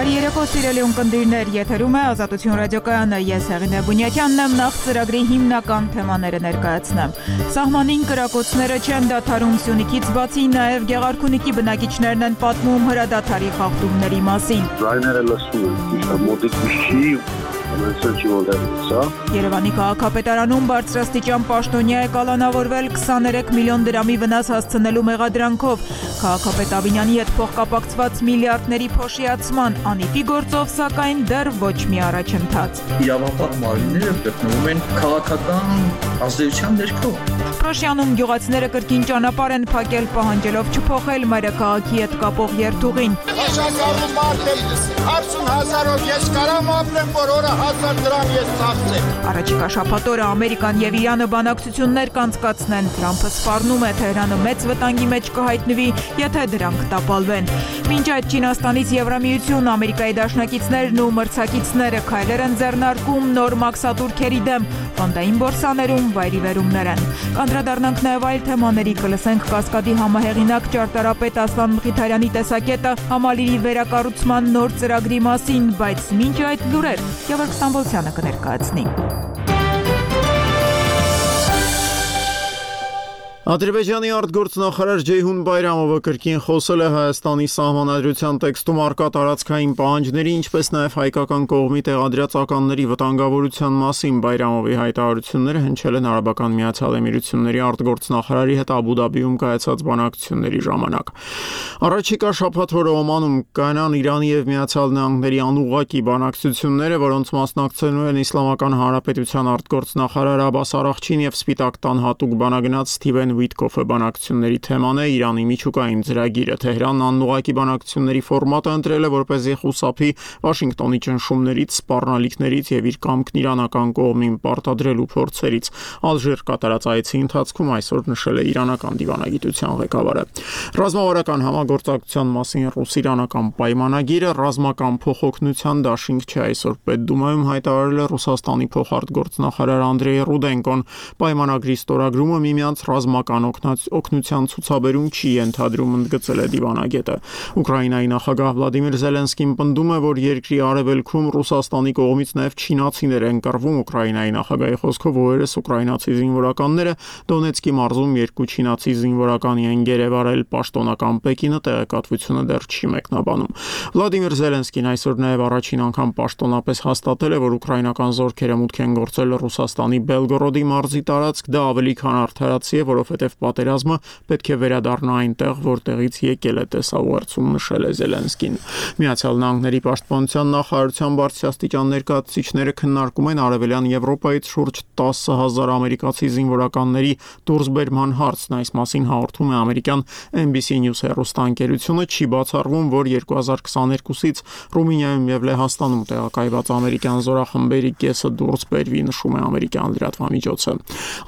Բարի երեկո սիրելի ունկնդիրներ, եթերում է Ազատություն ռադիոկայանը, ես Հեղինե Բունյակյանն եմ, նախ ծրագրի հիմնական թեմաները ներկայացնեմ։ Սահմանին կրակոցները չեն դադարում Սյունիքից բացի, նաև Գեղարքունիքի բնակիչներն են պատմում հրադադարի խախտումների մասին։ Ձայները լսում են, մոտիկ չի Երևանի քաղաքապետարանում բարձրաստիճան պաշտոնյա է կալանավորվել 23 միլիոն դրամի վնաս հասցնելու մեղադրանքով։ Քաղաքապետ Ավինյանի հետ փոխկապակցված միլիարդների փոշիացման անիծի գործով, սակայն դեռ ոչ մի առաջընթաց։ Իրավապահ մարմինները գտնվում են քաղաքական ազդեցության ներքո։ Փրոշյանում գյուղացիները կրկին ճանապարհ են փակել, պահանջելով չփոխել մայրաքաղաքի հետ կապող երթուղին։ Աշակալու մարդ եմ, 50,000-ով ես կարամ ապրեմ, որ օրը 1000 դրամ ես ծախսեմ։ Առաջիկա շաբաթ օրը Ամերիկան եւ Իրանը բանակցություններ կանցկացնեն։ Թրամփը սպառնում է Թեհրանը մեծ վտանգի մեջ կհայտնվի, եթե դրանք տապալվեն։ Մինչ այդ Չինաստանից Եվրամիություն, Ամերիկայի դաշնակիցներն ու մրցակիցները քայլեր են ձեռնարկում նոր մաքսատուրքերի դեմ, ֆոնդային բորսաներում վայրիվերումներ են։ Կանդրադառնանք նաև այլ թեմաների, կլսենք Կասկադի համահեղինակ ճարտարապետ Ասլան Մխիթարյանի տեսակետը համալիրի վերակառուցման նոր ծրագրի մասին, բայց մինչ այդ լուրեր Գևորգ Ստամբոլցյանը կներկայացնի։ Ադրբեջանի արտգործնախարար Ջեյհուն Բայրամովը կրկին խոսել է Հայաստանի սահմանադրության տեքստում առկա տարածքային պահանջների, ինչպես նաև հայկական կողմի տեղադրած ականների վտանգավորության մասին։ Բայրամովի հայտարարությունները հնչել են Արաբական Միացյալ Էմիրությունների արտգործնախարարի հետ Աբու Դաբիում կայացած բանակցությունների ժամանակ։ Առաջիկա շաբաթ օրը Օմանում կանան Իրանի եւ Միացյալ Նահանգների անուղղակի բանակցությունները, որոնց մասնակցելու են Իսլամական Հանրապետության արտգործնախարար Աբբաս Արաղչին եւ Սպիտակ տան հատուկ բանագնաց Սթիվեն Վիտկոֆը։ Բանակցությունների թեման է Իրանի միջուկային ծրագիրը։ Թեհրանն անուղղակի բանակցությունների ֆորմատը ընտրել է, որպեսզի խուսափի Վաշինգտոնի ճնշումներից, սպառնալիքներից եւ իր կամքն իրանական կողմին պարտադրելու փորձերից։ Ալժիր կատարած այցի ընթացքում այսօր նշել է իրանական դիվանագիտության ղեկավարը։ Ռազմավարական համագործակցության մասին ռուս-իրանական պայմանագիրը ռազմական փոխօգնության դաշինք չէ, այսօր Պետդումայում հայտարարել է Ռուսաստանի փոխարտգործնախարար Անդրեյ Ռուդենկոն։ Պայմանագրի ստորագրումը միմյանց ռազմական օգնության ցուցաբերում չի ենթադրում, ընդգծել է դիվանագետը։ Ուկրաինայի նախագահ Վլադիմիր Զելենսկին պնդում է, որ երկրի արևելքում Ռուսաստանի կողմից նաև չինացիներ են կռվում։ Ուկրաինայի նախագահի խոսքով օրերս ուկրաինացի զինվորականները Դոնեցկի մարզում 2 չինացի զինվորականի են գերեվարել։ Պաշտոնական Պեկինը տեղեկատվությունը դեռ չի մեկնաբանում։ Վլադիմիր Զելենսկին այսօր նաև առաջին անգամ պաշտոնապես հաստատել է, որ ուկրաինական զորքերը մուտք են գործել Ռուսաստանի Բելգորոդի մարզի տարածք։ Դա ավելի քան արդարացի է, որովհետև պատերազմը պետք է վերադառնա այնտեղ, որտեղից եկել է, տեսաուղերձում նշել է Զելենսկին։ Միացյալ Նահանգների պաշտպանության նախարարության բարձրաստիճան ներկայացուցիչները քննարկում են Արևելյան Եվրոպայից շուրջ 10,000 ամերիկացի զինվորականների դուրսբերման հարցն։ Այս մասին հաղորդում է ամերիկյան NBC News հեռուստաընկերությունը, չի բացառվում, որ 2022-ից Ռումինիայում եւ Լեհաստանում տեղակայված ամերիկյան զորախմբերի կեսը դուրս բերվի, նշում է ամերիկյան լրատվամիջոցը։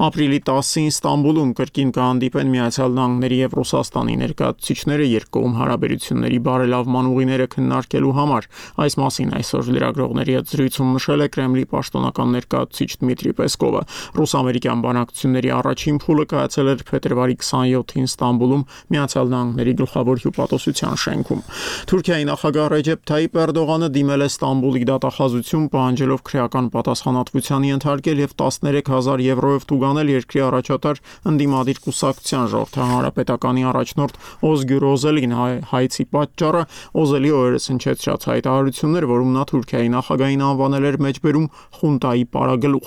Ապրիլի 10-ին Ստամբուլում կրկին կհանդիպեն Միացյալ Նահանգների եւ Ռուսաստանի ներկայացուցիչները երկկողմ հարաբերությունների բարելավման ուղիները քննարկելու համար։ Այս մասին այսօր լրագրողների հետ զրույցում նշել է Կրեմլի պաշտոնական ներկայացուցիչ Դմիտրի Պեսկովը։ Ռուս-ամերիկյան բանակցությունների առաջին փուլը կայացել էր փետրվարի 27-ին Ստամբուլում Միացյալ Նահանգների գլխավոր հյուպատոսության շենքում։ Թուրքիայի նախագահ Ռեջեփ Թայիպ Էրդողանը դիմել է Ստամբուլի դատախազություն, պահանջելով քրեական պատասխանատվության ենթարկել եւ 13,000 եվրոյով տուգանել երկրի առաջատար ընդդիմադիր կուսակցության ժողովրդական հանրապետականի առաջնորդ Օզգյուր Օզելին։ Հայցի պատճառը Օզելի օրերս հնչեցրած հայտարարություններ, որում նա Թուրքիայի նախագահին անվանել էր մեջբերում խունտայի պարագլուխ։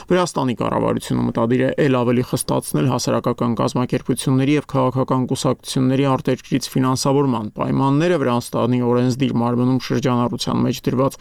Վրաստանի կառավարությունը մտադիր է ել ավելի խստացնել հասարակական կազմակերպությունների եւ քաղաքական կուսակցությունների արտերկրից ֆինանսավորման պայմանները։ Վրաստանի օրենսդիր մարմնում շրջանառության մեջ դրված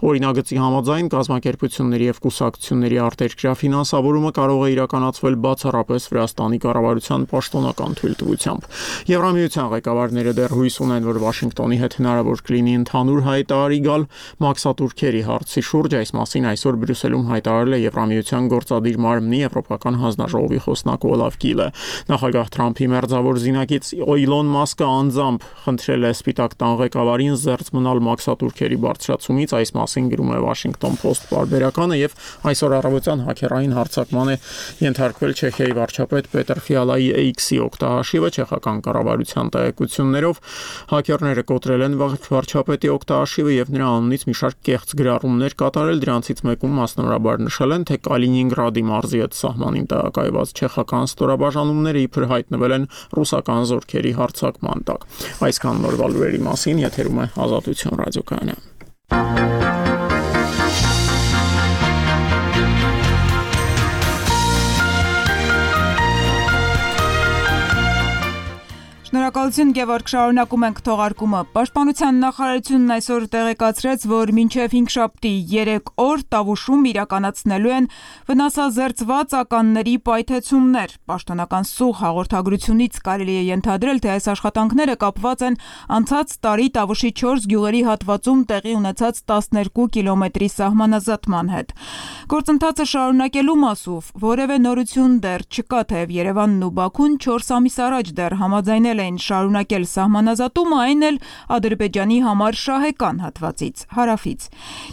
օրինագծի համաձայն կազմակերպությունների եւ կուսակցությունների արտերկրյա ֆինանսավորումը կարող է իրականացվել բացառապես Վրաստանի կառավարության պաշտոնական թույլտվությամբ։ Եվրամիության ղեկավարները դեռ հույս ունեն, որ Վաշինգտոնի հետ հնարավոր կլինի ընդհանուր հայտարարի գալ մաքսատուրքերի հարցի շուրջ։ Այս մասին այսօր Բրյուսելում հայտարարել է Եվրամիության գործադիր մարմնի Եվրոպական հանձնաժողովի խոսնակ Օլաֆ Գիլը։ Նախագահ Թրամփի մերձավոր զինակից Իլոն Մասկը անձամբ խնդրել է Սպիտակ տան ղեկավարին զերծ մնալ մաքսատուրքերի բարձրացումից։ Այս մասին գրում է Washington Post պարբերականը եւ այսօր առավոտյան հաքերային հարձակման է ենթարկվել Չեխիայի վարչապետ Ֆիալայի AX-ի օգտահաշիվը չեխական կառավարության տեղեկություններով հաքերները կոտրել են վարչապետի օգտահաշիվը եւ նրա անունից մի շարք կեղծ գրառումներ կատարել, դրանցից մեկում մասնավորաբար նշել են, թե Կալինինգրադի մարզի հետ սահմանին տեղակայված չեխական ստորաբաժանումները իբր հայտնվել են ռուսական զորքերի հարձակման տակ։ Այսքան նորվա լուրերի մասին եթերում է Ազատություն ռադիոկայանը։ Շնորհակալություն Գևորգ, շարունակում ենք թողարկումը։ Պաշտպանության նախարարությունն այսօր տեղեկացրեց, որ մինչև 5 շաբթի 3 օր Տավուշում իրականացնելու են վնասազերծված ականների պայթեցումներ։ Պաշտոնական սուղ հաղորդագրությունից կարելի է ենթադրել, թե այս աշխատանքները կապված են անցած տարի Տավուշի 4 գյուղերի հատվածում տեղի ունեցած 12 կիլոմետրի սահմանազատման հետ։ Գործընթացը շարունակելու մասով որևէ նորություն դեռ չկա, թեև Երևանն ու Բաքուն 4 ամիս առաջ դեռ համաձայնել էին շարունակել սահմանազատումը, այն էլ Ադրբեջանի համար շահեկան հատվածից, հարավից։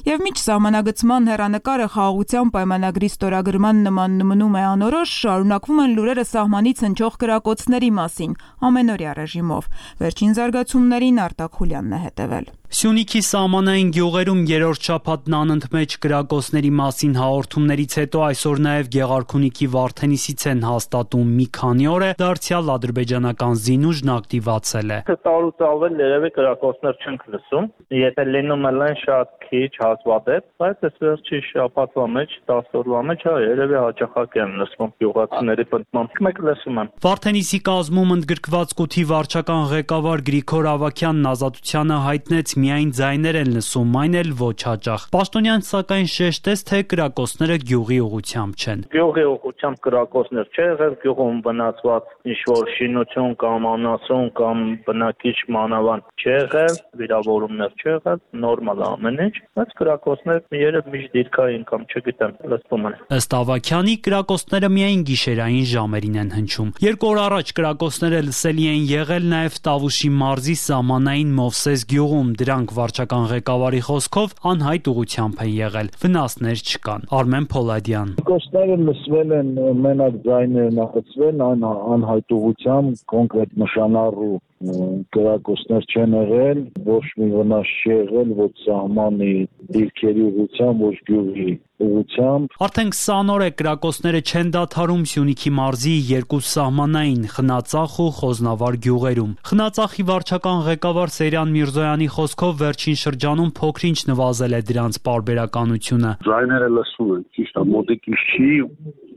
Եվ միջ սահմանագծման հեռանկարը խաղաղության պայմանագրի ստորագրման նման մնում է անորոշ, շարունակվում են լուրերը սահմանից հնչող կրակոցների մասին, ամենօրյա ռեժիմով։ Վերջին զարգացումներին Արտակ Խուլյանն է հետևել։ Սյունիքի սահմանային գյուղերում երրորդ շաբաթն անընդմեջ կրակոցների մասին հաղորդումներից հետո այսօր նաև Գեղարքունիքի Վարդենիսից են հաստատում մի քանի օր է դարձյալ ադրբեջանական զինուժն ակտիվացել է։ Տարուց ավել երևի կրակոցներ չենք լսում, եթե լինում են շատ քիչ հազվադեպ, բայց այս վերջի շաբաթվա մեջ 10 օրվա մեջ երևի հաճախակ են լսվում գյուղացիների պնդմամբ։ Մեկ լսում եմ։ Վարդենիսի կազմում ընդգրկված կութի վարչական ղեկավար Գրիգոր Ավագյանն Ազատությանը հայտնեց միայն ձայներ են լսում, այն էլ ոչ հաճախ։ Պաշտոնյան սակայն շեշտեց, թե կրակոցները գյուղի ուղղությամբ չեն։ Գյուղի ուղղությամբ կրակոցներ չէ եղել, գյուղում բնացված ինչ-որ շինություն կամ անասուն կամ բնակիչ մանավանդ չի եղել, վիրավորումներ չի եղել, նորմալ է ամեն ինչ, բայց կրակոցներ երբ միշտ դիրքային կամ չգիտեմ, լսվում են։ Ըստ Ավագյանի կրակոցները միայն գիշերային ժամերին են հնչում։ 2 օր առաջ կրակոցները լսելի են եղել նաև Տավուշի մարզի սահմանային Մովսես գյուղում, դրանք վարչական ղեկավարի խոսքով անհայտ ուղղությամբ են եղել, վնասներ չկան։ Արմեն Փոլադյան։ Կրակոցները լսվել են, մենակ ձայներն աղացվել անհայտ ուղղությամբ, կոնկրետ նշանառու կրակոցներ չեն եղել, ոչ մի վնաս չի եղել, ոչ սահմանի դիրքերի ուղղությամբ, ոչ գյուղի ուղղությամբ։ Արդեն 20 օր է կրակոցները չեն դադարում Սյունիքի մարզի 2 սահմանային Խնածախ ու Խոզնավար գյուղերում։ Խնածախի վարչական ղեկավար Սերյան Միրզոյանի խոսքով վերջին շրջանում փոքր-ինչ նվազել է դրանց պարբերականությունը։ Ձայները լսում են, ճիշտ է, մոտիկից չի,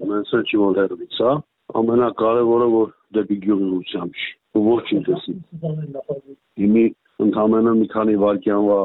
ունենց չի որ հեռվից, հա։ Ամենակարևորը որ դեպի գյուղի ուղղությամբ չի։ Ոչինչ տեսի։ Հիմի ընդհանրապես մի քանի վայրկյանվա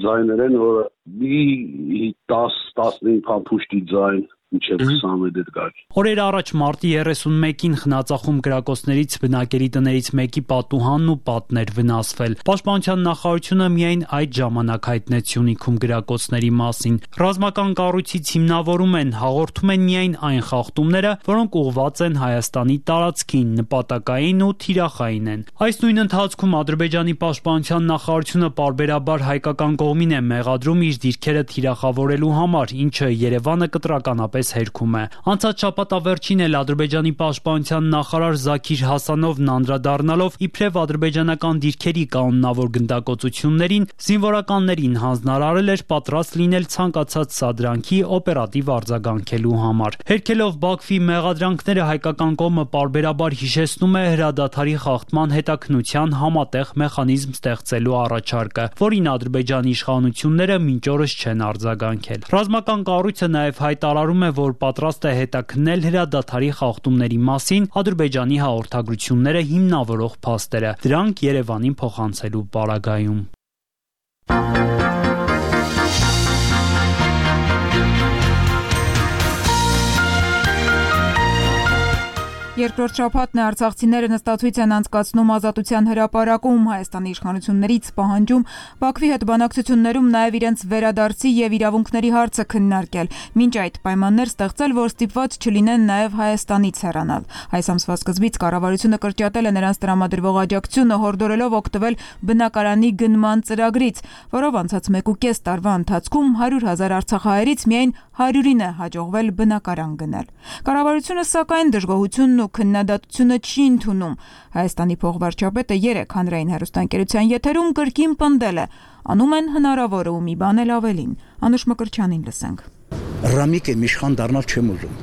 ձայներ են, որ մի 10-15 փամփուշտի ձայն մինչև 20 մետր գաք։ Օրեր առաջ մարտի 31-ին Խնածախում կրակոցներից բնակելի տներից մեկի պատուհանն ու պատն էր վնասվել։ Պաշտպանության նախարարությունը միայն այդ ժամանակ հայտնեց Սյունիքում կրակոցների մասին։ Ռազմական կառույցից հիմնավորում են, հաղորդում են միայն այն խախտումները, որոնք ուղղված են Հայաստանի տարածքին, նպատակային ու թիրախային են։ Այս նույն ընթացքում Ադրբեջանի պաշտպանության նախարարությունը պարբերաբար հայկական կողմին է մեղադրում իր դիրքերը թիրախավորելու համար, ինչը Երևանը կտրականապես հերքում է։ Անցած շաբաթավերջին էլ Ադրբեջանի պաշտպանության նախարար Զաքիր Հասանովն անդրադառնալով իբրև ադրբեջանական դիրքերի կանոնավոր գնդակոծություններին զինվորականներին հանձնարարել էր պատրաստ լինել ցանկացած սադրանքի օպերատիվ արձագանքելու համար։ Հերքելով Բաքվի մեղադրանքները հայկական կողմը պարբերաբար հիշեցնում է հրադադարի խախտման հետաքննության համատեղ մեխանիզմ ստեղծելու առաջարկը, որին Ադրբեջանի իշխանությունները մինչ օրս չեն արձագանքել։ Ռազմական կառույցը նաև հայտարարում է, որ պատրաստ է հետաքննել հրադադարի խախտումների մասին Ադրբեջանի հաղորդագրությունները հիմնավորող փաստերը, դրանք Երևանին փոխանցելու պարագայում։ Երկրորդ շաբաթն է արցախցիները նստացույց են անցկացնում Ազատության հրապարակում, Հայաստանի իշխանություններից պահանջում Բաքվի հետ բանակցություններում նաև իրենց վերադարձի եւ իրավունքների հարցը քննարկել, մինչ այդ պայմաններ ստեղծել, որ ստիպված չլինեն նաև Հայաստանից հեռանալ։ Այս ամսվա սկզբից կառավարությունը կրճատել է նրանց տրամադրվող աջակցությունը, հորդորելով օգտվել բնակարանի գնման ծրագրից, որով անցած 1.5 տարվա ընթացքում 100,000 արցախահայերից միայն 100-ին է հաջողվել բնակարան գնել։ Կառավարությունը սակայն դժգոհությունն ու ու քննադատությունը չի ընդունում։ Հայաստանի փոխվարչապետը 3 հանրային հեռուստաընկերության եթերում կրկին պնդել է. անում են հնարավորը ու մի բան էլ ավելին։ Անուշ Մկրտչյանին լսենք։ Ռամիկ եմ իշխան դառնալ չեմ ուզում։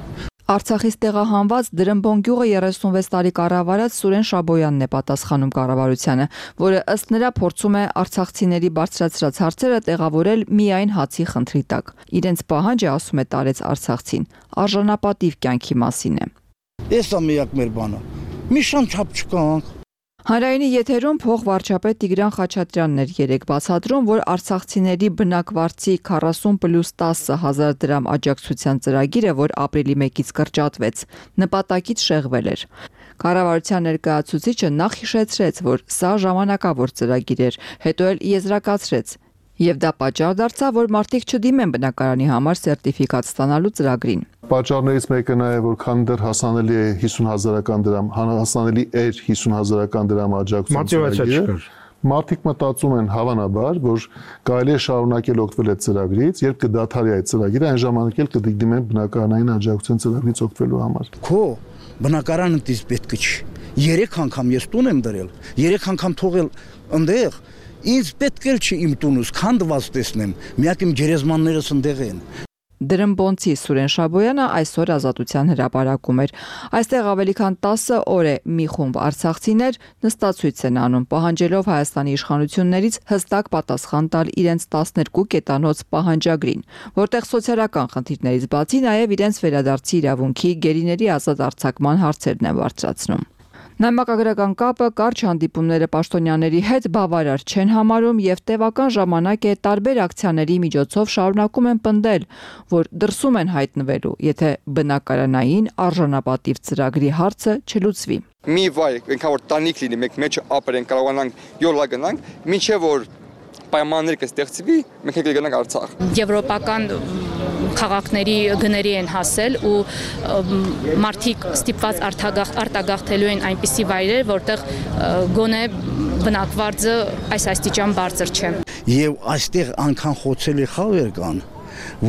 Արցախից տեղահանված Դրմբոն գյուղը 36 տարի կառավարած Սուրեն Շաբոյանն է պատասխանում կառավարությանը, որը ըստ նրա փորձում է արցախցիների բարձրացրած հարցերը տեղավորել միայն հացի խնդրի տակ։ Իրենց պահանջը, ասում է, տարեց արցախցին, արժանապատիվ կյանքի մասին է։ Էս է միակ մեր բանը։ Մի շան չափ չկանք։ Հանրայինի եթերում փոխվարչապետ Տիգրան Խաչատրյանն էր երեկ բացատրում, որ արցախցիների բնակվարձի 40+10 հազար դրամ աջակցության ծրագիրը, որ ապրիլի 1-ից կրճատվեց, նպատակից շեղվել էր։ Կառավարության ներկայացուցիչը նախ հիշեցրեց, որ սա ժամանակավոր ծրագիր էր, հետո էլ եզրակացրեց, եւ դա պատճառ դարձավ, որ մարդիկ չդիմեն բնակարանի համար սերտիֆիկատ ստանալու ծրագրին։ Պատճառներից մեկը նաև որ քան դեռ հասանելի է 50,000 դրամ, հասանելի էր 50,000 դրամ աջակցություն ծրագիրը, մարդիկ մտածում են հավանաբար, որ կարելի է շարունակել օգտվել այդ ծրագրից, երբ կդադարի այդ ծրագիրը, այն ժամանակ էլ կդիմեն բնակարանային աջակցության ծրագրից օգտվելու համար։ Քո բնակարանը դից պետք չի։ 3 անգամ ես տուն եմ դրել, 3 անգամ թողել ընդեղ, ինձ պետք էլ չի իմ տունս քանդված տեսնեմ, միակ իմ գերեզմաններս ընդեղ են։ Դրմբոնցի Սուրեն Շաբոյանը այսօր Ազատության հրապարակում էր։ Այստեղ ավելի քան 10 օր է մի խումբ արցախցիներ նստացույց են անում, պահանջելով Հայաստանի իշխանություններից հստակ պատասխան տալ իրենց 12 կետանոց պահանջագրին, որտեղ սոցիալական խնդիրներից բացի նաև իրենց վերադարձի իրավունքի, գերիների ազատ արձակման հարցերն են բարձրացնում։ Նամակագրական կապը, կարճ հանդիպումները պաշտոնյաների հետ բավարար չեն համարում եւ տևական ժամանակ է տարբեր ակցիաների միջոցով շարունակում են պնդել, որ դրսում են հայտնվելու, եթե բնակարանային արժանապատիվ ծրագրի հարցը չլուծվի։ Մի վայր, այնքան որ տանիք լինի, մենք մեջ ապրենք, կարողանանք յոլա գնանք, մինչև որ պայմաններ կստեղծվի, մենք կգնանք Արցախ։ Եվրոպական քաղաքների գների են հասել ու մարդիկ ստիպված արտագաղթելու են այնպիսի վայրեր, որտեղ գոնե բնակվարձը այս աստիճան բարձր չէ։ Եվ այստեղ անգամ խոցելի խավեր կան,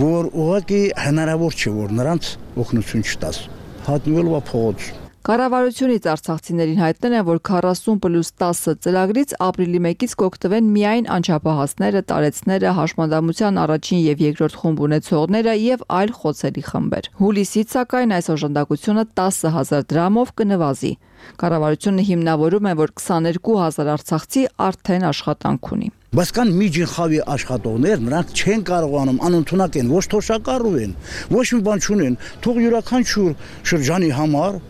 որ ուղղակի հնարավոր չէ, որ նրանց օգնություն չտաս։ Հատնվելու փողոց։ Կառավարությունից արցախցիներին հայտնել են, որ 40+10 ծրագրից ապրիլի 1-ից կօգտվեն միայն անչափահասները, տարեցները, հաշմանդամության առաջին եւ երկրորդ խումբ ունեցողները եւ այլ խոցելի խմբեր։ Հուլիսից սակայն այս օժանդակությունը 10,000 դրամով կնվազի։ Կառավարությունը հիմնավորում է, որ 22,000 արցախցի արդեն աշխատանք ունի։ Բայց կան միջին խավի աշխատողներ, նրանք չեն կարողանում, անընդունակ են, ոչ թոշակառու են, ոչ մի բան չունեն, թող յուրաքանչյուր շրջանի համար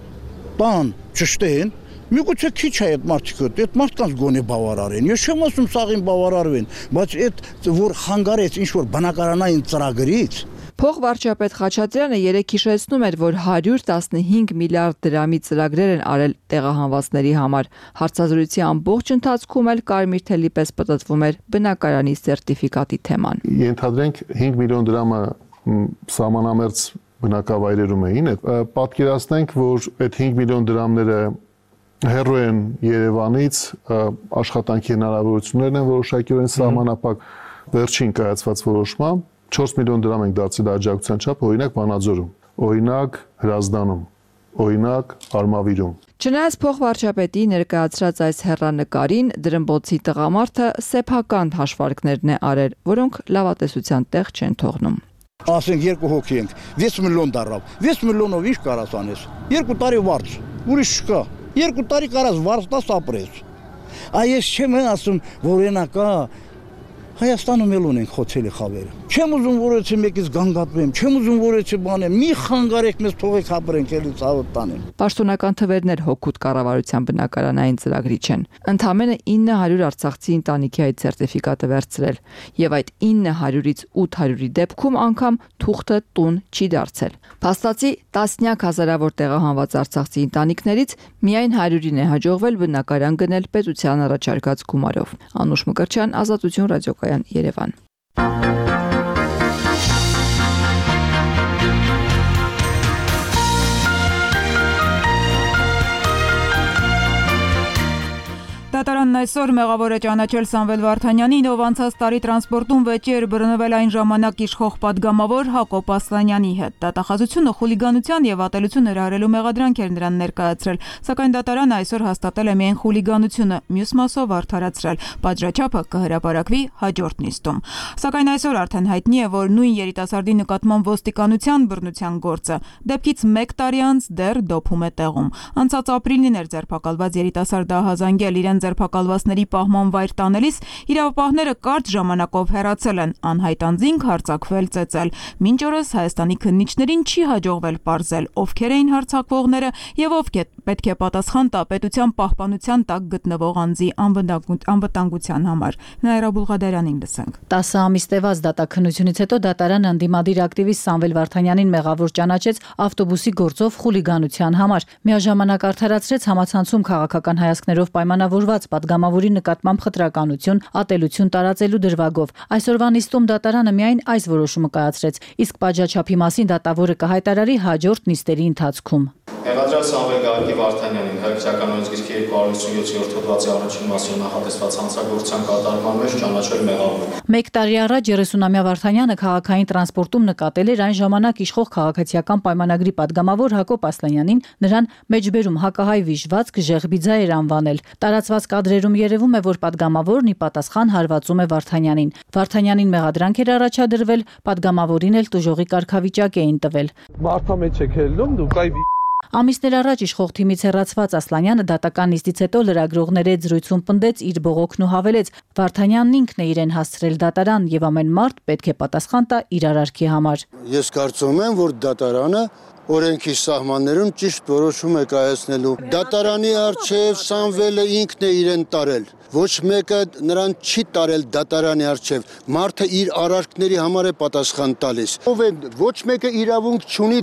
տան ճշտեն, միգուցե քիչ է այդ մարդիկը, այդ մարդկանց գոնե բավարարեն։ Ես չեմ ասում սաղին բավարարվեն, բայց այդ որ խանգարեց ինչ-որ բնակարանային ծրագրից։ Փոխվարչապետ Խաչատրյանը երեկ հիշեցնում էր, որ 115 միլիարդ դրամի ծրագրեր են արել տեղահանվածների համար։ Հարցազրույցի ամբողջ ընթացքում էլ կարմիր թելի պես պտտվում էր բնակարանի սերտիֆիկատի թեման։ Ենթադրենք 5 միլիոն դրամը սահմանամերձ բնակավայրերում էին, պատկերացնենք, որ այդ 5 միլիոն դրամները հեռու են Երևանից, աշխատանքի հնարավորություններն են որոշակիորեն սահմանափակ, վերջին կայացված որոշմամբ 4 միլիոն դրամ ենք դարձել աջակցության չափ, օրինակ Վանաձորում, օրինակ Հրազդանում, օրինակ Արմավիրում։ Չնայած փոխվարչապետի ներկայացրած այս հեռանկարին Դրմբոցի տղամարդը սեփական հաշվարկներն է արել, որոնք լավատեսության տեղ չեն թողնում։ Ասենք 2 հոգի ենք, 6 միլիոն դառավ, 6 միլիոնով ինչ կարաս անես, 2 տարի վարձ, ուրիշ չկա, 2 տարի կարաս վարձ տաս ապրես։ Այս չեմ ասում, որ ենակա Հայաստանում էլ ունենք խոցելի խավերը։ Չեմ ուզում որ έτσι մեկից գանգատվեմ, չեմ ուզում որ έτσι բանեմ, մի խանգարեք մեզ թողեք ապրենք էլի ցավոտ տանեմ։ Պաշտոնական թվերներ հոգուտ կառավարության բնակարանային ծրագրի չեն։ Ընդամենը 900 արցախցի ընտանիքի այդ սերտիֆիկատը վերցրել, եւ այդ 900-ից 800-ի դեպքում անգամ թուղթը տուն չի դարձել։ Փաստացի տասնյակ հազարավոր տեղահանված արցախցի ընտանիքներից միայն 100-ին է հաջողվել բնակարան գնել պետության առաջարկած գումարով։ Անուշ Մկրտչյան, Ազատություն ռադիոկայան, Երևան։ Դատարանն այսօր մեղավոր է ճանաչել Սամվել Վարդանյանին, ով անցած տարի տրանսպորտում վեճի էր բռնվել այն ժամանակ իշխող պատգամավոր Հակոբ Ասլանյանի հետ։ Դատախազությունը խուլիգանության եւ ատելություն հրահրելու մեղադրանք էր նրան ներկայացրել, սակայն դատարանը այսօր հաստատել է միայն խուլիգանությունը, մյուս մասով արդարացրել։ Պատժաչափը կհրապարակվի հաջորդ նիստում։ Սակայն այսօր արդեն հայտնի է, որ նույն երիտասարդի նկատմամբ ոստիկանության բռնության գործը դեպքից 1 տարի անց դեռ դոփում է տեղում։ Անցած ապրիլին էր ձերբակալված երիտասարդը ահազանգել, իրեն ձերբակալվածների պահման վայր տանելիս իրավապահները կարճ ժամանակով հեռացել են, անհայտ անձինք հարձակվել, ծեծել։ Մինչ օրս Հայաստանի քննիչներին չի հաջողվել պարզել, ովքեր էին հարձակվողները եւ ով պետք է պատասխան տա պետության պահպանության տակ գտնվող անձի անվտանգության համար։ Նաիրա Բուլղադարյանին լսենք։ 10 ամիս տևած դատաքննությունից հետո դատարանը ընդդիմադիր ակտիվիստ Սամվել Վարդանյանին մեղավոր ճանաչեց ավտոբուսի գործով խուլիգանության համար։ Միաժամանակ արդարացրեց համացանցում քաղաքական հայացքներով պայմանավորված պատգամավորի նկատմամբ խտրականություն, ատելություն տարածելու դրվագով։ Այսօրվա նիստում դատարանը միայն այս որոշումը կայացրեց, իսկ պատժաչափի մասին դատավորը կհայտարարի հաջորդ նիստերի ընթացքում։ Մեղադրյալ Սամվել Գագիկ Վարդանյանին Հայկական օրենսգիրքի 257-րդ հոդվածի առաջին մասով նախատեսված հանցագործության կատարման մեջ ճանաչել մեղավոր։ 1 տարի առաջ 30-ամյա Վարդանյանը քաղաքային տրանսպորտում նկատել էր այն ժամանակ իշխող քաղաքացիական պայմանագրի падգամավոր Հակոբ Ասլանյանին, նրան մեջբերում հակահայ վիժվածք Ժեղբիձա էր անվանել։ Տարածված կադրերում երևում է, որ падգամավորն ի պատասխան հարվածում է Վարդանյանին։ Վարդանյանին մեղադրանք էր առաջադրվել, падգամավորին էլ տուժողի կարգավիճակ էին տվել։ Մարդա մեջ եք ելնում, դուք այ Ամիսներ առաջ իշխող թիմից հեռացված Ասլանյանը դատական նիստից հետո լրագրողների հետ զրույցում պնդեց իր բողոքն ու հավելեց. Վարդանյանն ինքն է իրեն հասցրել դատարան եւ ամեն մարդ պետք է պատասխան տա իր արարքի համար։ Ես կարծում եմ, որ դատարանը օրենքի սահմաններում ճիշտ որոշում է կայացնելու։ Դատարանի առջև Սամվելը ինքն է իրեն տարել։ Ոչ մեկը նրան չի տարել դատարանի առջև։ Մարդը իր արարքների համար է պատասխան տալիս։ Ով է ոչ մեկը իրավունք չունի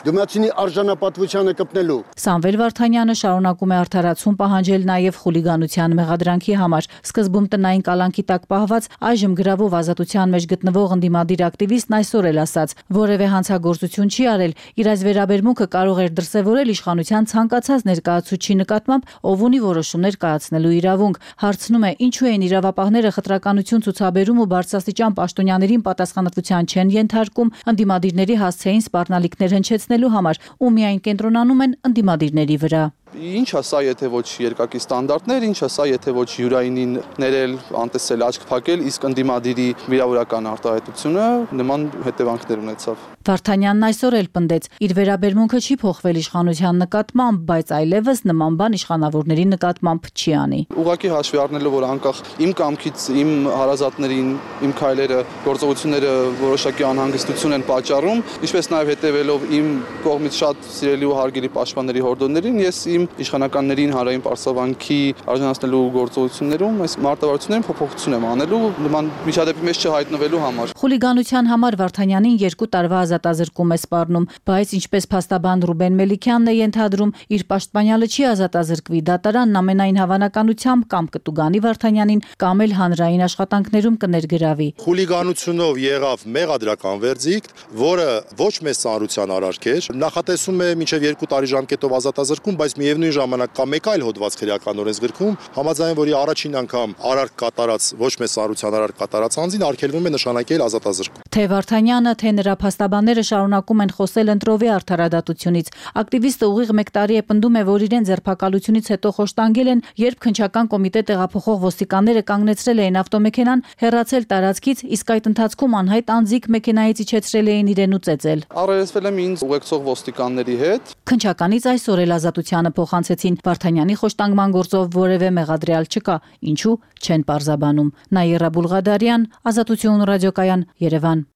դիմացինի արժանապատվությանը կպնելու։ Սամվել Վարդանյանը շարունակում է արդարացում պահանջել նաև խուլիգանության մեղադրանքի համար։ Սկզբում տնային կալանքի տակ պահված, այժմ գրավով ազատության մեջ գտնվող ընդդիմադիր ակտիվիստն այսօր էլ ասաց, որևէ հանցագործություն չի արել, իր այս վերաբերմունքը կարող էր դրսևորել իշխանության ցանկացած ներկայացուցչի նկատմամբ, ով ունի որոշումներ կայացնելու իրավունք։ Հարցնում է, ինչու են իրավապահները խտրականություն ցուցաբերում ու բարձրաստիճան պաշտոնյաներին պատասխանատվության չեն ենթարկում, ընդդիմադիրների հասցեին սպառնալիքներ հնչեցնելու համար ու միայն կենտրոնանում են ընդդիմադիրների վրա։ Ինչ է սա, եթե ոչ երկակի ստանդարտներ, ինչ է սա, եթե ոչ յուրայինին ներել, անտեսել, աչք փակել, իսկ ընդդիմադիրի վիրավորական արտահայտությունը նման հետևանքներ ունեցավ։ Վարդանյանն այսօր էլ պնդեց, իր վերաբերմունքը չի փոխվել իշխանության նկատմամբ, բայց այլևս նման բան իշխանավորների նկատմամբ չի անի։ Ուղղակի հաշվի առնելով, որ անկախ իմ կամքից իմ հարազատներին, իմ քայլերը, գործողությունները որոշակի անհանգստություն են պատճառում, ինչպես նաև հետևելով իմ կողմից շատ սիրելի ու հարգելի պաշտպանների հորդորներին, ես իմ իշխանականներին հանրային պարսավանքի արժանացնելու գործողություններում այս մարտավարություններին փոփոխություն եմ անելու նման միջադեպի մեջ չհայտնվելու համար։ Խուլիգանության համար Վարդանյանին 2 տարվա ազատազրկում է սպառնում, բայց ինչպես փաստաբան Ռուբեն Մելիքյանն է ենթադրում, իր պաշտպանյալը չի ազատազրկվի, դատարանն ամենայն հավանականությամբ կամ կտուգանի Վարդանյանին, կամ էլ հանրային աշխատանքներում կներգրավի։ Խուլիգանությունով եղավ մեղադրական վերդիկտ, որը ոչ մեծ ծանրության արարք էր, նախատեսում է մինչև 2 տարի ժամկետով ազատազրկում, բայց միևնույն ժամանակ կա մեկ այլ հոդված քրեական օրենսգրքում, համաձայն որի առաջին անգամ արարք կատարած ոչ մեծ ծանրության արարք կատարած անձին արգելվում է նշանակել ազատազրկում։ Թե Վարդանյանը, թե նրա փաստաբանները շարունակում են խոսել ընտրովի արդարադատությունից։ Ակտիվիստը ուղիղ 1 տարի է պնդում է, որ իրեն ձերբակալությունից հետո խոշտանգել են, երբ քննչական կոմիտե տեղափոխող ոստիկանները կանգնեցրել էին ավտոմեքենան, հեռացել տարածքից, իսկ այդ ընթացքում անհայտ անձիկ մեքենայից իջեցրել էին իրեն ու ծեծել։ Առերեսվել եմ ինձ ուղեկցող ոստիկանների հետ։ Քննչականից այսօր էլ ազատությանը փոխանցեցին։ Վարդանյանի խոշտանգման գործով որևէ մեղադրյալ չկա, ինչու չեն պարզաբանում։ Նաիրա Բուլղադարյան, Ազատություն ռադիոկայան, Երևան։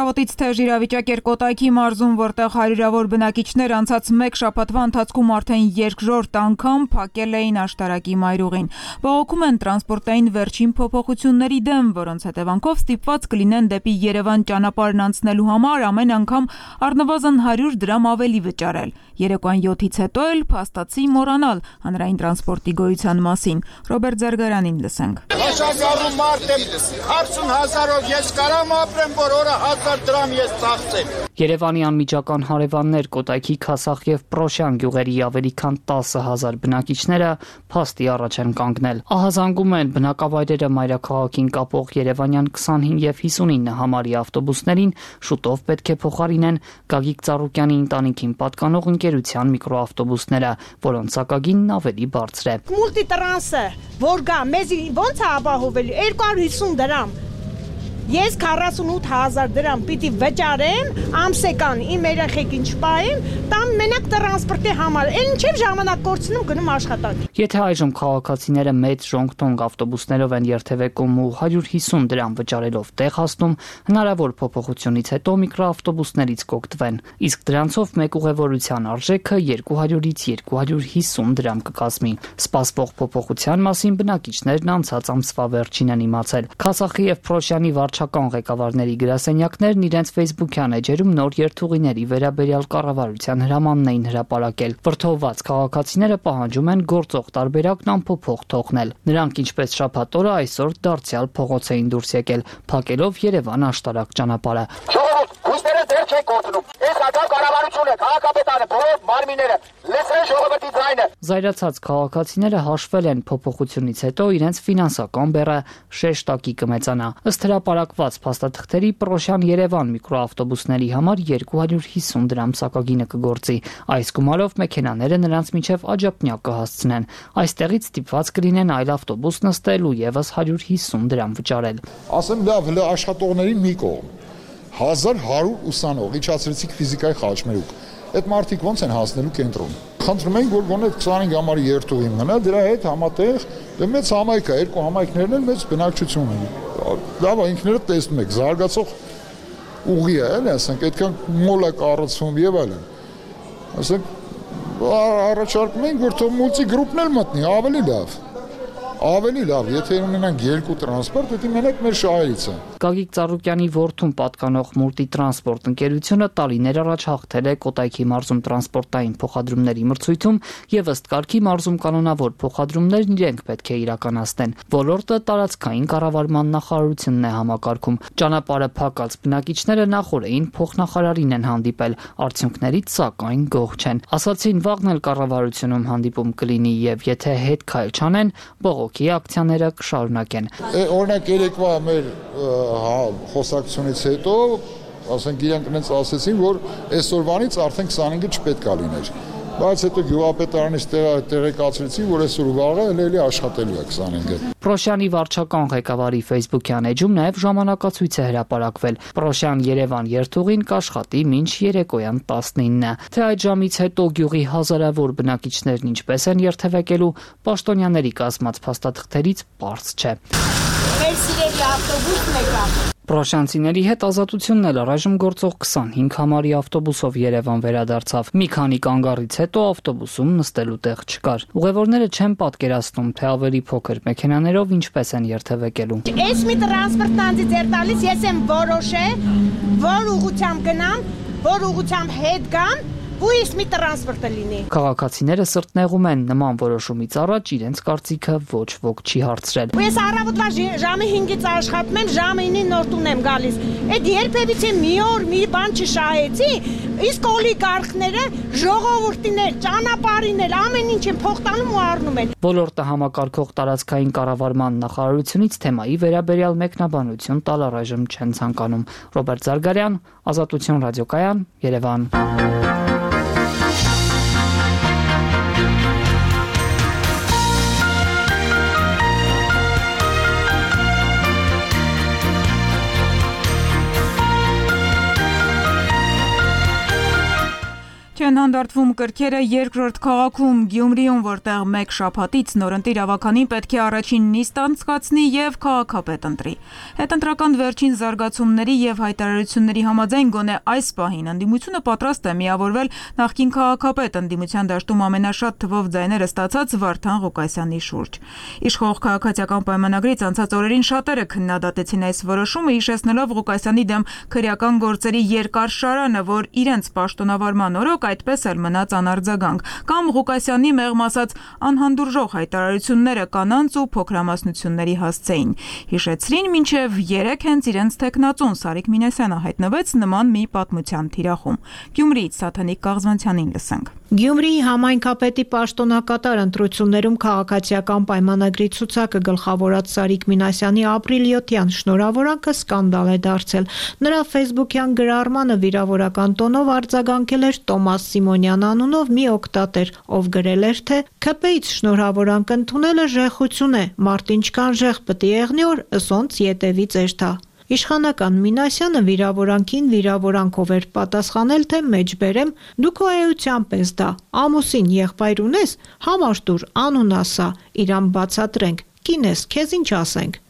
Առավոտից թեժ իրավիճակ էր Կոտայքի մարզում, որտեղ հարյուրավոր բնակիչներ անցած մեկ շաբաթվա ընթացքում արդեն երկրորդ անգամ փակել էին աշտարակի մայրուղին։ Բողոքում են տրանսպորտային վերջին փոփոխությունների դեմ, որոնց հետևանքով ստիպված կլինեն դեպի Երևան ճանապարհն անցնելու համար ամեն անգամ առնվազն 100 դրամ ավելի վճարել։ Երեկոյան 7-ից հետո էլ փաստացի մոռանալ հանրային տրանսպորտի գոյության մասին։ Ռոբերտ Զարգարանին լսենք։ Աշակարում մարդ եմ 40,000-ով ես կարամ ապրեմ, որ օրը 1000 դրամ ես ծախսեմ։ Երևանի անմիջական հարևաններ Կոտայքի, Քասախ եւ Պրոշյան գյուղերի ավելի քան 10,000 բնակիչները փաստի առաջ են կանգնել։ Ահազանգում են բնակավայրերը մայրաքաղաքին կապող Երևանյան 25 եւ 59 համարի ավտոբուսներին շուտով պետք է փոխարինեն Գագիկ Ծառուկյանի ընտանիքին պատկանող ընկերության միկրոավտոբուսները, որոնց սակագինն ավելի բարձր է։ Մուլտիտրանսը, որ գա, մեզ ո՞նց է ապահովելու 250 դրամ։ Ես 48,000 դրամ պիտի վճարեմ, ամսեկան իմ երեխեքին չպահեմ, տամ մենակ տրանսպորտի համար։ Էլ ինչև ժամանակ կորցնում գնում աշխատանք։ Եթե այժմ քաղաքացիները մեծ ժոնգտոնգ ավտոբուսներով են երթևեկում ու 150 դրամ վճարելով տեղ հասնում, հնարավոր փոփոխությունից հետո միկրոավտոբուսներից կօգտվեն, իսկ դրանցով մեկ ուղևորության արժեքը 200-ից 250 դրամ կկազմի։ Սպասվող փոփոխության մասին բնակիչներն անցած ամսվա վերջին են իմացել։ Քասախի եւ Պրոշյանի վարչական ղեկավարների գրասենյակներն իրենց Facebook-յան էջերում նոր երթուղիների վերաբերյալ կառավարության հրամանն էին հրապարակել։ Վրդովված քաղաքացիները պահանջում են գործող տարբերակն անփոփոխ թողնել։ Նրանք ինչպես շաբաթ օրը այսօր դարձյալ փողոց էին դուրս եկել, փակելով Երևան աշտարակ ճանապարհը։ Ուստերը դեր չեն կորցնում։ Այս ակա կառավարությունը, քաղաքապետարանը, բոլոր մարմինները լսեն ժողովրդի ձայնը։ Զայրացած քաղաքացիները հաշվել են փոփոխությունից հետո իրենց ֆինանսական բեռը շեշտակի կմեծանա։ Ըստ հրապարակված փաստաթղթերի Պրոշյան Երևան միկրոավտոբուսների համար 250 դրամ սակագինը կգործի։ Այս գումարով մեքենաները նրանց միջև աջափնյակ կհասցնեն։ Այստեղից ստիպված կլինեն այլ ավտոբուս նստել ու եւս 150 դրամ վճարել։ Ասեմ լավ, հələ աշխատողների մի կողմ 1100 ուսանող, իջացրեցիք ֆիզիկայի խաչմերուկ։ Այդ մարդիկ ո՞նց են հասնելու կենտրոն։ Խնդրում ենք, որ գոնե 25 համարի երթուղի մնա, դրա հետ համատեղ մեծ համայնք է, երկու համայնքներն էլ մեծ բնակչություն ունեն։ Լավ է, ինքներդ տեսնում եք, զարգացող ուղի է, էլի, ասենք, այդքան մոլ է կառուցվում եւ այլն։ Ասենք, առաջարկում ենք, որ թող մուլտիգրուպն էլ մտնի, ավելի լավ, եթե ունենանք երկու տրանսպորտ, դա մենակ մեր շահերից է։ Գագիկ Ծառուկյանի որդուն պատկանող մուլտիտրանսպորտ ընկերությունը տարիներ առաջ հաղթել է Կոտայքի մարզում տրանսպորտային փոխադրումների մրցույթում եւ ըստ կարգի մարզում կանոնավոր փոխադրումներն իրենք պետք է իրականացնեն։ Ոլորտը տարածքային կառավարման նախարարությունն է համակարգում։ Ճանապարհը փակած բնակիչները նախորդին փոխնախարարին են հանդիպել, արդյունքներից սակայն գոհ չեն։ Ասացին վաղն էլ կառավարությունում հանդիպում կլինի եւ եթե հետ քայլ չանեն, բողոքի ակցիաները կշարունակեն։ Օրինակ երեկվա մեր խոսակցությունից հետո, ասենք իրենք ինձ ասեցին, որ այսօրվանից արդեն 25-ը չպետք է լիներ։ Բայց հետո գյուղապետարանից տեղեկացրեցին, որ այսօր ու վաղը էլի աշխատելու է 25-ը։ Պրոշյանի վարչական ղեկավարի Facebook-յան էջում նաև ժամանակացույց է հրապարակվել։ Պրոշյան Երևան երթուղին կաշխատի մինչ երեկոյան 19-ը։ Թե այդ ժամից հետո գյուղի հազարավոր բնակիչներն ինչպես են երթևեկելու, պաշտոնյաների կազմած փաստաթղթերից պարզ չէ։ Մեր սիրելի ավտոբուսն եկա։ Պրոշյանցիների հետ Ազատությունն էլ առայժմ գործող 25 համարի ավտոբուսով Երևան վերադարձավ։ Մի քանի կանգառից հետո ավտոբուսում նստելու տեղ չկար։ Ուղևորները չեն պատկերացնում, թե ավելի փոքր մեքենաներով ինչպես են երթևեկելու։ Այս մի տրանսպորտն անձի ձեր տալիս, ես եմ որոշել, որ ուղղությամբ գնամ, որ ուղղությամբ հետ գամ, ու ես մի տրանսպորտը լինի։ Քաղաքացիները սրտնեղում են նման որոշումից առաջ իրենց կարծիքը ոչ ոք չի հարցրել։ Ես առավոտվա ժամը 5-ից աշխատում եմ, ժամը 9-ին նոր տուն եմ գալիս։ Այդ երբևիցե մի օր մի բան չշահեցի, իսկ օլիգարխները, ժողովուրդիներ, ճանապարհիներ ամեն ինչ են փոխտանում ու առնում են։ Ոլորտը համակարգող տարածքային կառավարման նախարարությունից թեմայի վերաբերյալ մեկնաբանություն տալ առայժմ չեն ցանկանում։ Ռոբերտ Զարգարյան, Ազատություն ռադիոկայան, Երևան։ Չեն հանդարտվում կրքերը երկրորդ քաղաքում Գյումրիում, որտեղ մեկ շաբաթից նորընտիր ավականին պետք է առաջին նիստ անցկացնի եւ քաղաքապետ ընտրի։ Հետընտրական վերջին զարգացումների եւ հայտարարությունների համաձայն գոնե այս պահին ընդդիմությունը պատրաստ է միավորվել նախկին քաղաքապետ ընդդիմության դաշտում ամենաշատ թվով ձայները ստացած Վարդան Ղուկասյանի շուրջ։ Իշխող քաղաքացիական պայմանագրից անցած օրերին շատերը քննադատեցին այս որոշումը, հիշեցնելով Ղուկասյանի դեմ քրեական գործերի երկար շարանը, որ իրենց պաշտոնավարման օրոք այդպես էլ մնաց անարձագանք, կամ Ղուկասյանի մեղմ ասած անհանդուրժող հայտարարությունները կանանց ու փոքրամասնությունների հասցեին։ Հիշեցրին մինչև 3 հենց իրենց տեխնացուն Սարիկ Մինասյանը հայտնվեց նման մի պատմության թիրախում։ Գյումրիից Սաթանիկ Կաղզանցյանին լսենք։ Գյումրիի համայնքապետի պաշտոնակատար ընտրություններում քաղաքացիական պայմանագրի ցուցակը գլխավորած Սարիկ Մինասյանի ապրիլ 7-յան շնորհավորանքը սկանդալ է դարձել։ Նրա ֆեյսբուքյան գրառմանը վիրավորական տոնով արձագանքել էր Տոմաս Սիմոնյան անունով մի օգտատեր, ով գրել էր, թե ՔՊ-ից շնորհավորանք ընդունելը ժեխություն է, մարդ ինչքան ժեխ պտի եղնի որ ըսոնց ետևի ծերթա։ Իշխանական Մինասյանը վիրավորանքին վիրավորանքով էր պատասխանել, թե մեջբերեմ դու քո էությամբ ես դա, ամուսին եղբայր ունես, համար տուր, անուն ասա, իրան բացատրենք, կին ես, քեզ ինչ ասենք։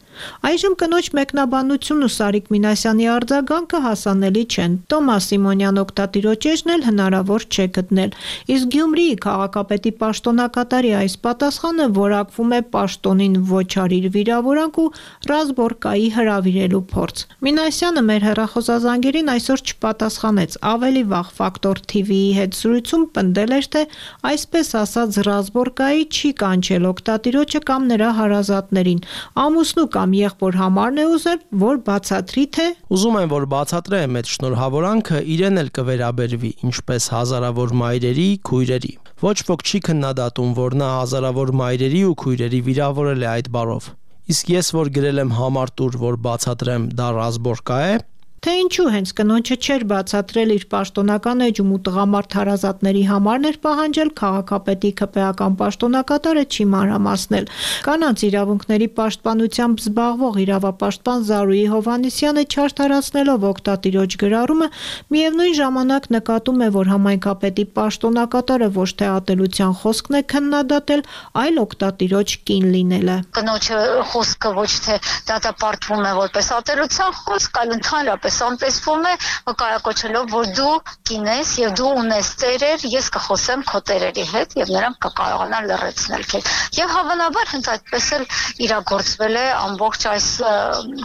Այժմ կնոջ մեկնաբանությունն ու Սարիկ Մինասյանի արձագանքը հասանելի չեն։ Տոմաս Սիմոնյան օգտատիրոջն էլ հնարավոր չէ գտնել։ Իսկ Գյումրիի քաղաքապետի պաշտոնակատարի այս պատասխանը որակվում է պաշտոնին ոչ արիր վիրավորանք ու Ռազբորկայի հրավիրելու փորձ։ Մինասյանը մեր հեռախոսազանգերին այսօր չպատասխանեց։ Ավելի վաղ Ֆակտոր TV-ի հետ զրույցում պնդել էր, թե այսպես ասած Ռազբորկայի չի կանչել օգտատիրոջը կամ նրա հարազատներին։ Ամուսնու կամ եղբոր համարն է ուզել, որ բացատրի, թե ուզում եմ, որ բացատրեմ այդ շնորհավորանքը իրեն էլ կվերաբերվի, ինչպես հազարավոր մայրերի, քույրերի։ Ոչ ոք չի քննադատում, որ նա հազարավոր մայրերի ու քույրերի վիրավորել է այդ բառով։ Իսկ ես որ գրել եմ համար տուր, որ բացատրեմ, դա Ռազբորկա է։ Թե ինչու հենց կնոջը չէր բացատրել իր պաշտոնական էջում ու տղամարդ հարազատների համարն էր պահանջել, քաղաքապետի ԿՊ-ական պաշտոնակատարը չի մանրամասնել։ Կանանց իրավունքների պաշտպանությամբ զբաղվող իրավապաշտպան Զարուհի Հովհաննիսյանը չարդարացնելով օգտատիրոջ գրառումը, միևնույն ժամանակ նկատում է, որ համայնքապետի պաշտոնակատարը ոչ թե ատելության խոսքն է քննադատել, այլ օգտատիրոջ կին լինելը։ Կնոջը խոսքը ոչ թե դատապարտվում է որպես ատելության խոսք, այլ ընդհանրապես անտեսվում է կայակոչելով, որ դու կին ես եւ դու ունես ծերեր, ես կխոսեմ քո ծերերի հետ եւ նրանք կկարողանան լրացնել քեզ։ Եվ հավանաբար հենց այդպես էլ իրագործվել է ամբողջ այս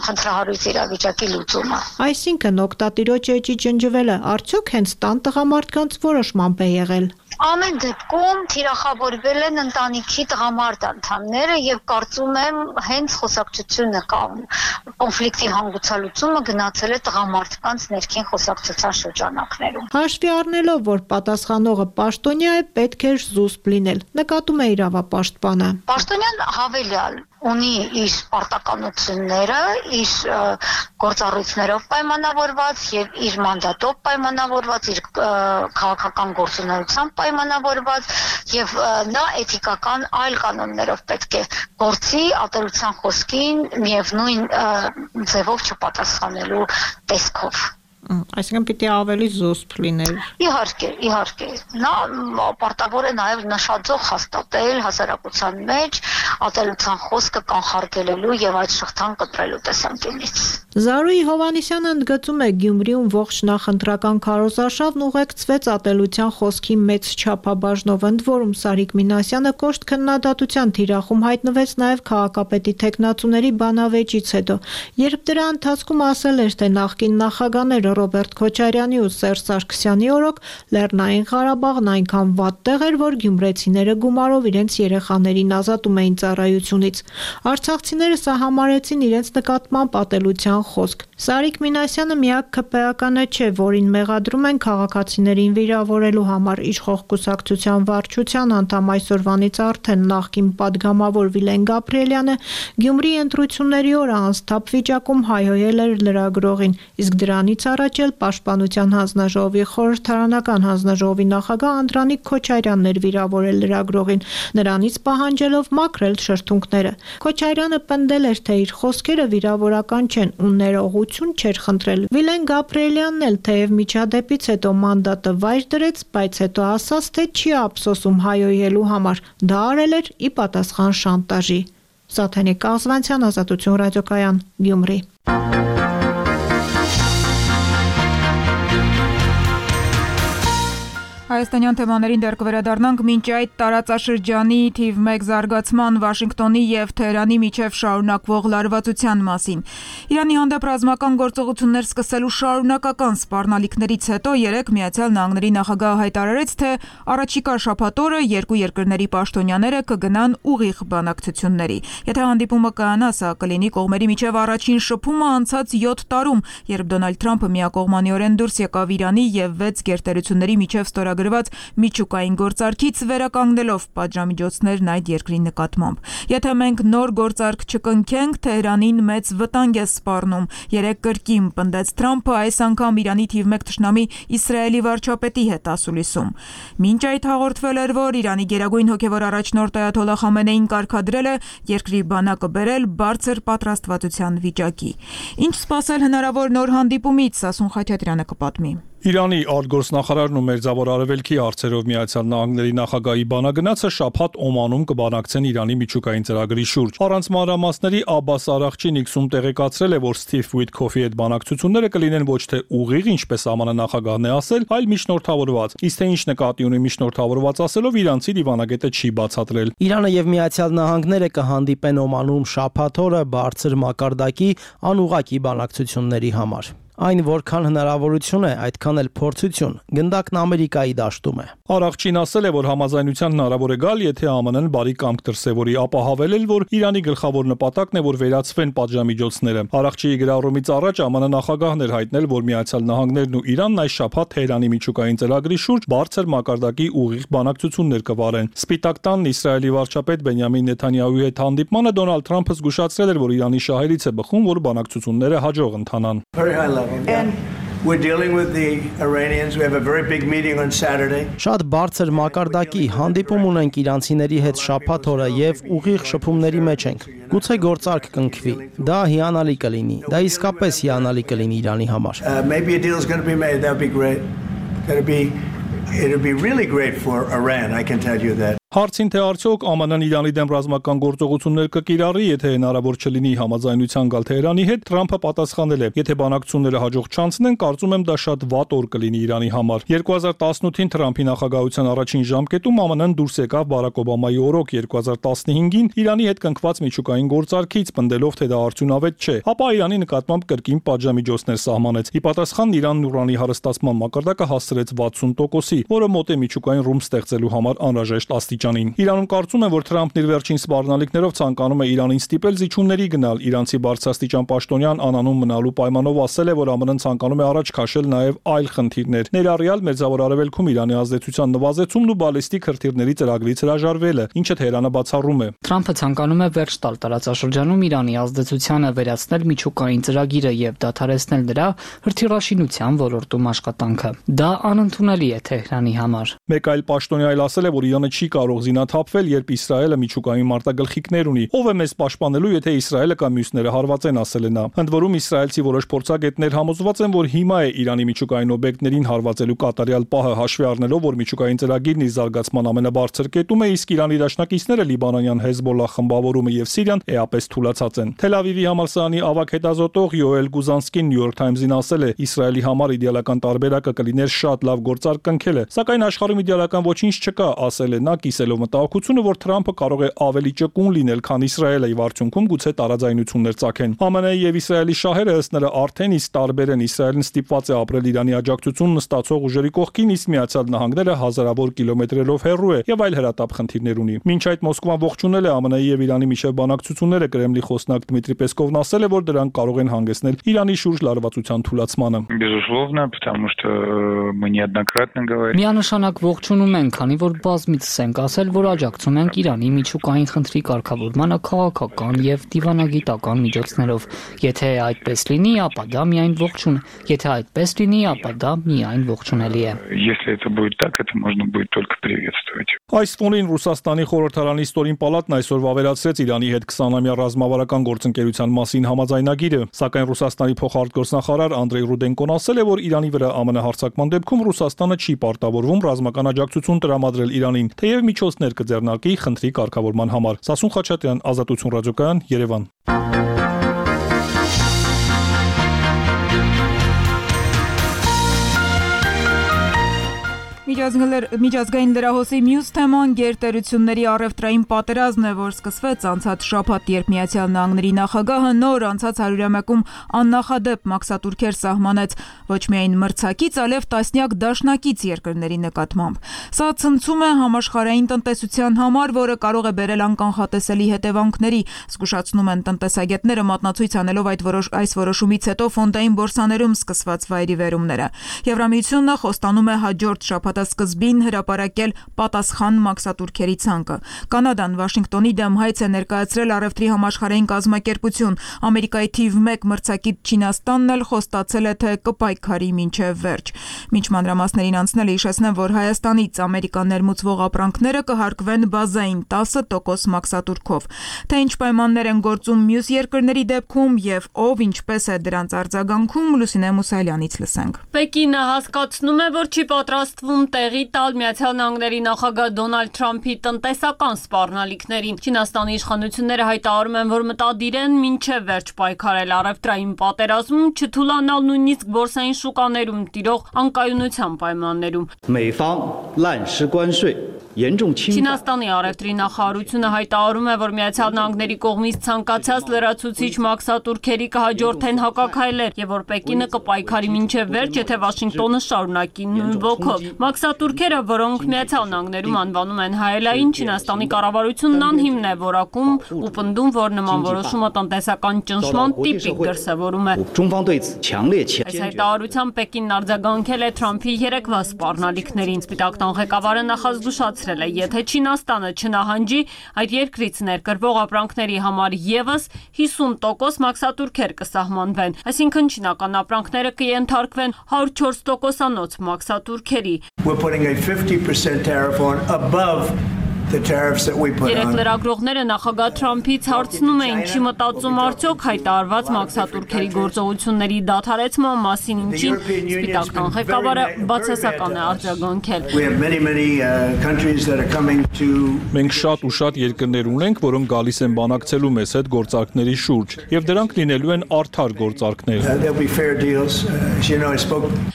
խնդրահարույց իրավիճակի լուծումը։ Այսինքն օգտատիրոջ էջի ջնջվելը արդյոք հենց տան տղամարդկանց որոշմամբ է եղել։ Ամեն դեպքում թիրախավորվել են ընտանիքի տղամարդ անդամները եւ կարծում եմ հենց խոսակցությունը կամ կոնֆլիկտի հանգուցալուծումը գնացել է տղամարդկանց ներքին խոսակցության շրջանակներում։ Հաշվի առնելով, որ պատասխանողը պաշտոնյա է, պետք է զուսպ լինել, նկատում է իրավապաշտպանը։ Պաշտոնյան հավելյալ ունի իր պարտականությունները, իր գործառույթներով պայմանավորված եւ իր մանդատով պայմանավորված, իր քաղաքական գործունեությամբ պայմանավորված եւ նա էթիկական այլ կանոններով պետք է գործի ատելության խոսքին միևնույն ձևով չպատասխանելու տեսքով։ Այսինքն պիտի ավելի զուսպ լինել։ Իհարկե։ Նա պարտավոր է նաև նշաձող հաստատել հասարակության մեջ ատելության խոսքը կանխարգելելու եւ այդ շղթան կտրելու տեսանկյունից։ Զարուհի Հովհաննիսյանը ընդգծում է Գյումրիում ողջ նախընտրական քարոզարշավն ուղեկցվեց ատելության խոսքի մեծ չափաբաժնով, ընդ որում Սարիկ Մինասյանը կոշտ քննադատության թիրախում հայտնվեց նաև քաղաքապետի տեխնացուների բանավեճից հետո, երբ դրա ընթացքում ասել էր, թե նախկին նախագահները Ռոբերտ Քոչարյանի ու Սերժ Սարգսյանի օրոք Լեռնային Ղարաբաղն այնքան վատ տեղ էր, որ գյումրեցիները գումարով իրենց երեխաներին ազատում էին ծառայությունից։ Արցախցիները սա համարեցին իրենց նկատմամբ ատելության խոսք։ Սարիկ Մինասյանը միակ ՔՊ-ականը չէ, որին մեղադրում են քաղաքացիներին վիրավորելու համար իշխող կուսակցության վարչության անդամ այսօրվանից արդեն նախկին падգամավոր Վիլեն Գաբրիելյանը Գյումրիի ընտրությունների օրը անսթափ վիճակում հայհոյել էր լրագրողին, իսկ դրանից առաջ էլ Պաշտպանության հանձնաժողովի խորհրդարանական հանձնաժողովի նախագահ Անդրանիկ Քոչարյանն էր վիրավորել լրագրողին, նրանից պահանջելով մաքրել շրթունքները։ Քոչարյանը պնդել էր, թե իր խոսքերը վիրավորական չեն ու ներողություն չէր խնդրել։ Վիլեն Գաբրիելյանն էլ թեև միջադեպից հետո մանդատը վայր դրեց, բայց հետո ասաց, թե չի ափսոսում հայոյելու համար։ Դա արել էր ի պատասխան շանտաժի։ Սաթենիկ Կազվանցյան, Ազատություն ռադիոկայան, Գյումրի։ Հայաստանյան թեմաներին դեռ կվերադառնանք, մինչ այդ տարածաշրջանի թիվ 1 զարգացման Վաշինգտոնի եւ Թեհրանի միջև շարունակվող լարվածության մասին։ Իրանի հանդեպ ռազմական գործողություններ սկսելու շարունակական սպառնալիքներից հետո երեկ Միացյալ Նահանգների նախագահը հայտարարեց, թե առաջիկա շաբաթ օրը երկու երկրների պաշտոնյաները կգնան ուղիղ բանակցությունների։ Եթե հանդիպումը կայանա, սա կլինի կողմերի միջև առաջին շփումը անցած 7 տարում, երբ Դոնալդ Թրամփը միակողմանիորեն դուրս եկավ Իրանի եւ 6 գերտերությունների միջև ստորագրված միջուկային գործարքից վերականգնելով պատժամիջոցներն այդ երկրի նկատմամբ։ Եթե մենք նոր գործարք չկնքենք, Թեհրանին մեծ վտանգ է սպառնում։ Երեք կրկին պնդեց Թրամփը, այս անգամ Իրանի թիվ 1 թշնամի Իսրայելի վարչապետի հետ ասուլիսում։ Մինչ այդ հաղորդվել էր, որ Իրանի գերագույն հոգևոր առաջնորդ Այաթոլլահ Խամենեին կարգադրել է երկրի բանակը բերել բարձր պատրաստվածության վիճակի։ Ինչ սպասել հնարավոր նոր հանդիպումից, Սասուն Խաչատրյանը կպատմի։ Իրանի արտգործնախարարն ու Մերձավոր Արևելքի հարցերով Միացյալ Նահանգների նախագահի բանագնացը շաբաթ Օմանում կբանակցեն Իրանի միջուկային ծրագրի շուրջ։ Առանց մանրամասների Աբբաս Արաղչին X-ում տեղեկացրել է, որ Սթիվ Ուիթքոֆի հետ բանակցությունները կլինեն ոչ թե ուղիղ, ինչպես ԱՄՆ նախագահն է ասել, այլ միջնորդավորված։ Իսկ թե ինչ նկատի ունի միջնորդավորված ասելով, իրանցի դիվանագետը չի բացատրել։ Իրանը եւ Միացյալ Նահանգները կհանդիպեն Օմանում շաբաթ օրը բարձր մակարդակի անուղղակի բանակցությունների համար։ Այն որքան հնարավորություն է, այդքան էլ փորձություն, գնդակն Ամերիկայի դաշտում է։ Արաղչին ասել է, որ համաձայնության հնարավոր է գալ, եթե ԱՄՆ-ն բարի կամք դրսևորի, ապա հավելել, որ Իրանի գլխավոր նպատակն է, որ վերացվեն պատժամիջոցները։ Արաղչիի գրառումից առաջ ԱՄՆ նախագահն էր հայտնել, որ Միացյալ Նահանգներն ու Իրանն այս շաբաթ Թեհրանի միջուկային ծրագրի շուրջ բարձր մակարդակի ուղիղ բանակցություններ կվարեն։ Սպիտակ տանն Իսրայելի վարչապետ Բենյամին Նեթանյահուի հետ հանդիպմանը Դոնալդ Թրամփը զգուշացրել էր, որ Իրանի շահերից է բխում, որ բանակցությունները հաջող ընթանան։ And we're dealing with the Iranians. We have a very big meeting on Saturday. Շատ բարձր մակարդակի հանդիպում ունենք իրանցիների հետ շաբաթ օրը եւ ուղիղ շփումների մեջ ենք։ Գուցե գործարք կնքվի։ Դա հիանալի կլինի։ Դա իսկապես հիանալի կլինի Իրանի համար։ Maybe a deal is going to be made. That would be great. It'll be really great for Iran, I can tell you that. Հարցին թե արդյոք ԱՄՆ-ն Իրանի դեմ ռազմական գործողություններ կկիրառի, եթե հնարավոր չլինի համաձայնության գալ Թեհրանի հետ, Թրամփը պատասխանել է. Եթե բանակցությունները հաջող չանցնեն, կարծում եմ դա շատ վատ օր կլինի Իրանի համար։ 2018-ին Թրամփի նախագահության առաջին ժամկետում ԱՄՆ-ն դուրս եկավ Բարակ Օբամայի օրոք, 2015-ին Իրանի հետ կնքված միջուկային գործարքից, պնդելով, թե դա արդյունավետ չէ, ապա Իրանի նկատմամբ կրկին պատժամիջոցներ սահմանեց։ Ի պատասխան Իրանն ուրանի հարստացման մակարդակը հասցրեց 60%-ի, որը մոտ է միջուկային ռումբ ստեղծելու համար անհրաժեշտ աստիճանին։ Իրանում կարծում են, որ Թրամփն իր վերջին սպառնալիքներով ցանկանում է Իրանին ստիպել զիջումների գնալ։ Իրանցի բարձրաստիճան պաշտոնյան անանում մնալու պայմանով ասել է, որ ԱՄՆ-ն ցանկանում է առաջ քաշել նաև այլ խնդիրներ, ներառյալ Մերձավոր Արևելքում Իրանի ազդեցության նվազեցումն ու բալիստիկ հրթիռների ծրագրից հրաժարվելը, ինչը Թեհրանը բացառում է։ Թրամփը ցանկանում է վերջ տալ տարածաշրջանում Իրանի ազդեցությանը, վերացնել միջուկային ծրագիրը եւ դադարեցնել նրա հրթիռաշինության ոլորտում աշխատանքը։ Դա անընդունելի է Թեհրանի համար։ Մեկ այլ պաշտոնյա այլ ասել է, որ Իրանը չի կարող զինաթափվել, երբ Իսրայելը միջուկային մարտագլխիկներ ունի։ Ով է մեզ պաշտպանելու, եթե Իսրայելը կամ մյուսները հարվածեն, ասել է նա։ Ընդ որում իսրայելցի որոշ փորձագետներ համոզված են, որ հիմա է Իրանի միջուկային օբյեկտներին հարվածելու կատարյալ պահը, հաշվի առնելով, որ միջուկային ծրագիրն իր զարգացման ամենաբարձր կետում է, իսկ Իրանի դաշնակիցները Լիբանանյան Հեզբոլլահ խմբավորումը եւ Սիրիան էապես թուլացած են։ Թել Ավիվի համալսարանի ավագ հետազոտող Յոել Գուզանսկին New York Times-ին ասել է. Իսրայելի համար իդեալական տարբերակը կլիներ շատ լավ գործարք կնքելը, սակայն աշխարհում իդեալական ոչինչ չկա, ասել է նա, կիսելով մտահոգությունը, որ Թրամփը կարող է ավելի ճկուն լինել, քան Իսրայելը, եւ արդյունքում գուցե տարաձայնություններ ծագեն։ ԱՄՆ-ի եւ Իսրայելի շահերը ըստ նրա արդեն իսկ տարբեր են։ Իսրայելն ստիպված է ապրել Իրանի աջակցությունն ստացող ուժերի կողքին, իսկ Միացյալ Նահանգները հազարավոր կիլոմետրերով հեռու է եւ այլ հրատապ խնդիրներ ունի։ Մինչ այդ Մոսկվան ողջունել է ԱՄՆ-ի եւ Իրանի միջև բանակցությունները, Կրեմլի խոսնակ Դմիտրի Պեսկովն ասել է, որ դրանք կարող են հանգեցնել Իրանի շուրջ լարվածության թուլացմանը։ Безусловно, потому что мы неоднократно говорили. Միանշանակ ողջունում ենք, քանի որ բազմիցս ենք ասել, որ աջակցում ենք Իրանի միջուկային խնդրի կարգավորմանը քաղաքական եւ դիվանագիտական միջոցներով։ Եթե այդպես լինի, ապա դա միայն ողջուն է։ Եթե այդպես լինի, ապա դա միայն ողջունելի է։ Если это будет так, это можно будет только приветствовать. Այս ֆոնին Ռուսաստանի խորհրդարանի ստորին պալատն այսօր վավերացրեց Իրանի հետ 20-ամյա ռազմավարական գործընկերության մասին համաձայնագիրը, սակայն Ռուսաստանի փոխարտգործնախարար Անդրեյ Ռուդենկոն ասել է, որ Իրանի վրա ԱՄՆ հարձակման դեպքում Ռուսաստանը չի պարտավորվում ռազմական աջակցություն տրամադրել Իրանին, թեև միջոցներ կձեռնարկի խնդրի կարգավորման համար։ Սասուն Խաչատրյան, Ազատություն ռադիոկայան, Երևան։ Միջազգային լրահոսի մյուս թեման գերտերությունների առևտրային պատերազմն է, որ սկսվեց անցած շաբաթ, երբ Միացյալ Նահանգների նախագահը նոր անցած 100-ամյակում աննախադեպ մաքսատուրքեր սահմանեց ոչ միայն մրցակից, այլև տասնյակ դաշնակից երկրների նկատմամբ։ Սա ցնցում է համաշխարհային տնտեսության համար, որը կարող է բերել անկանխատեսելի հետևանքների, զգուշացնում են տնտեսագետները, մատնացույց անելով այս որոշումից հետո ֆոնդային բորսաներում սկսված վայրիվերումները։ Եվրամիությունն խոստանում է հաջորդ շաբաթասկզբին հրապարակել պատասխան մաքսատուրքերի ցանկը։ Կանադան Վաշինգտոնի դեմ հայց է ներկայացրել առևտրի համաշխարհային կազմակերպություն։ Ամերիկայի թիվ 1 մրցակից Չինաստանն էլ խոստացել է, թե կպայքարի մինչև վերջ։ Մինչ մանրամասներին անցնելը հիշեցնեմ, որ Հայաստանից Ամերիկան ներմուծվող ապրանքները կհարկվեն բազային 10% մաքսատուրքով։ Թե ինչ պայմաններ են գործում մյուս երկրների դեպքում եւ ով ինչպես է դրանց արձագանքում, Լուսինե Մուսայելյանից լսենք։ Պեկինը հասկացնում է, որ չի պատրաստվում տեղի տալ Միացյալ Նահանգների նախագահ Դոնալդ Թրամփի տնտեսական սպառնալիքներին։ Չինաստանի իշխանությունները հայտարարում են, որ մտադիր են մինչև վերջ պայքարել առևտրային պատերազմում, չթուլանալ նույնիսկ բորսային շուկաներում տիրող անկայունության պայմաններում։ Չինաստանի առևտրի նախարարությունը հայտարարում է, որ Միացյալ Նահանգների կողմից ցանկացած լրացուցիչ մաքսատուրքերի կհաջորդեն հակաքայլեր եւ որ Պեկինը կպայքարի մինչև վերջ, եթե Վաշինգտոնը շարունակի նույն ոգով։ Մաքսատուրքերը, որոնք Միացյալ Նահանգներում անվանում են հայելային, Չինաստանի կառավարությունն անհիմն է որակում ու պնդում, որ նման որոշումը տնտեսական ճնշման տիպիկ դրսևորում է։ Այս հայտարարությամբ Պեկինն արձագանքել է Թրամփի երեկվա սպառնալիքներին։ Սպիտակ տան ղեկավարը նախազգուշացրել է, եթե Չինաստանը չնահանջի, այդ երկրից ներկրվող ապրանքների համար եւս 50% մաքսատուրքեր կսահմանվեն, այսինքն չինական ապրանքները կենթարկվեն 104%-անոց մաքսատուրքերի։ We're putting a 50% tariff on above the tariffs that we put on. Երեք լրագրողները նախագահ Թրամփից հարցնում էին, չի մտածում արդյոք հայտարարված մաքսատուրքերի գործողությունների դադարեցման մասին, ինչին Սպիտակ տան ղեկավարը բացասական է արձագանքել։ Մենք շատ ու շատ երկրներ ունենք, որոնք գալիս են բանակցելու մեզ հետ գործարքների շուրջ, եւ դրանք լինելու են արդար գործարքներ։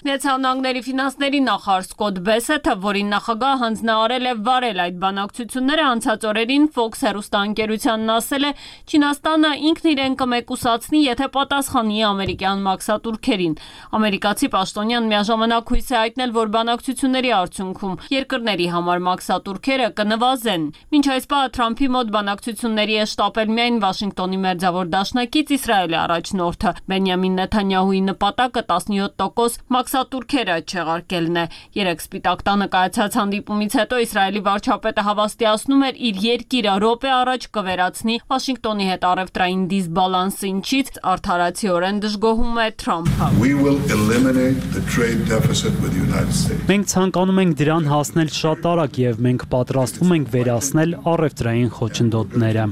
Միացյալ Նահանգների ֆինանսների նախարար Սկոտ Բեսեթը, որին նախագահը հանձնարարել է վարել այդ բանակցությունները, անցած օրերին Fox հեռուստաընկերությանն ասել է, Չինաստանը ինքն իրեն կմեկուսացնի, եթե պատասխանի ամերիկյան մաքսատուրքերին։ Ամերիկացի պաշտոնյան միաժամանակ հույս է հայտնել, որ բանակցությունների արդյունքում երկրների համար մաքսատուրքերը կնվազեն։ Մինչ այս պահը Թրամփի մոտ բանակցությունների է շտապել միայն Վաշինգտոնի մերձավոր դաշնակից Իսրայելի առաջնորդը։ Բենյամին Նեթանյահուի նպատակը 17% մաքսատուրքերը չեղարկելն է։ Երեք Սպիտակ տանը կայացած հանդիպումից հետո Իսրայելի վարչապետը հավաստիացնում էր իր երկիրը րոպե առաջ կվերացնի Վաշինգտոնի հետ առևտրային դիսբալանսը, ինչից արդարացիորեն դժգոհում է Թրամփը։ Մենք ցանկանում ենք դրան հասնել շատ արագ եւ մենք պատրաստվում ենք վերացնել առևտրային խոչընդոտները։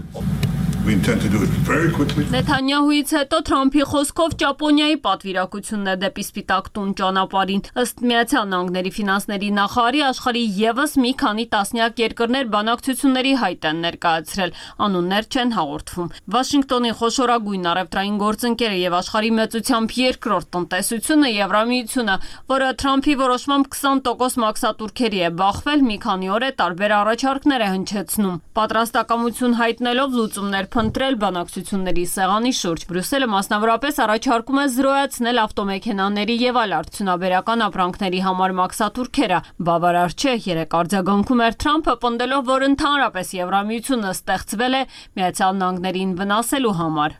Նեթանյահուից հետո Թրամփի խոսքով Ճապոնիայի պատվիրակությունն է դեպի Սպիտակ տուն ճանապարհին։ Ըստ Միացյալ Նահանգների ֆինանսների նախարարի, աշխարհի եւս մի քանի տասնյակ երկրներ բանակցությունների հայտ են ներկայացրել, անուններ չեն հաղորդվում։ Վաշինգտոնի խոշորագույն առևտրային գործընկերը եւ աշխարհի մեծությամբ երկրորդ տնտեսությունը Եվրամիությունը, որը Թրամփի որոշմամբ 20% մաքսատուրքերի է բախվել, մի քանի օր է տարբեր առաջարկներ է հնչեցնում։ Պատրաստակամություն հայտնելով լուծումներ փնտրել բանակցությունների սեղանի շուրջ։ Բրյուսելը մասնավորապես առաջարկում է զրոյացնել ավտոմեքենաների եւ այլ արդյունաբերական ապրանքների համար մաքսատուրքերը։ Բավարար չէ, երեք արձագանքում էր Թրամփը, պնդելով, որ ընդհանրապես Եվրամիությունը ստեղծվել է Միացյալ Նահանգներին վնասելու համար։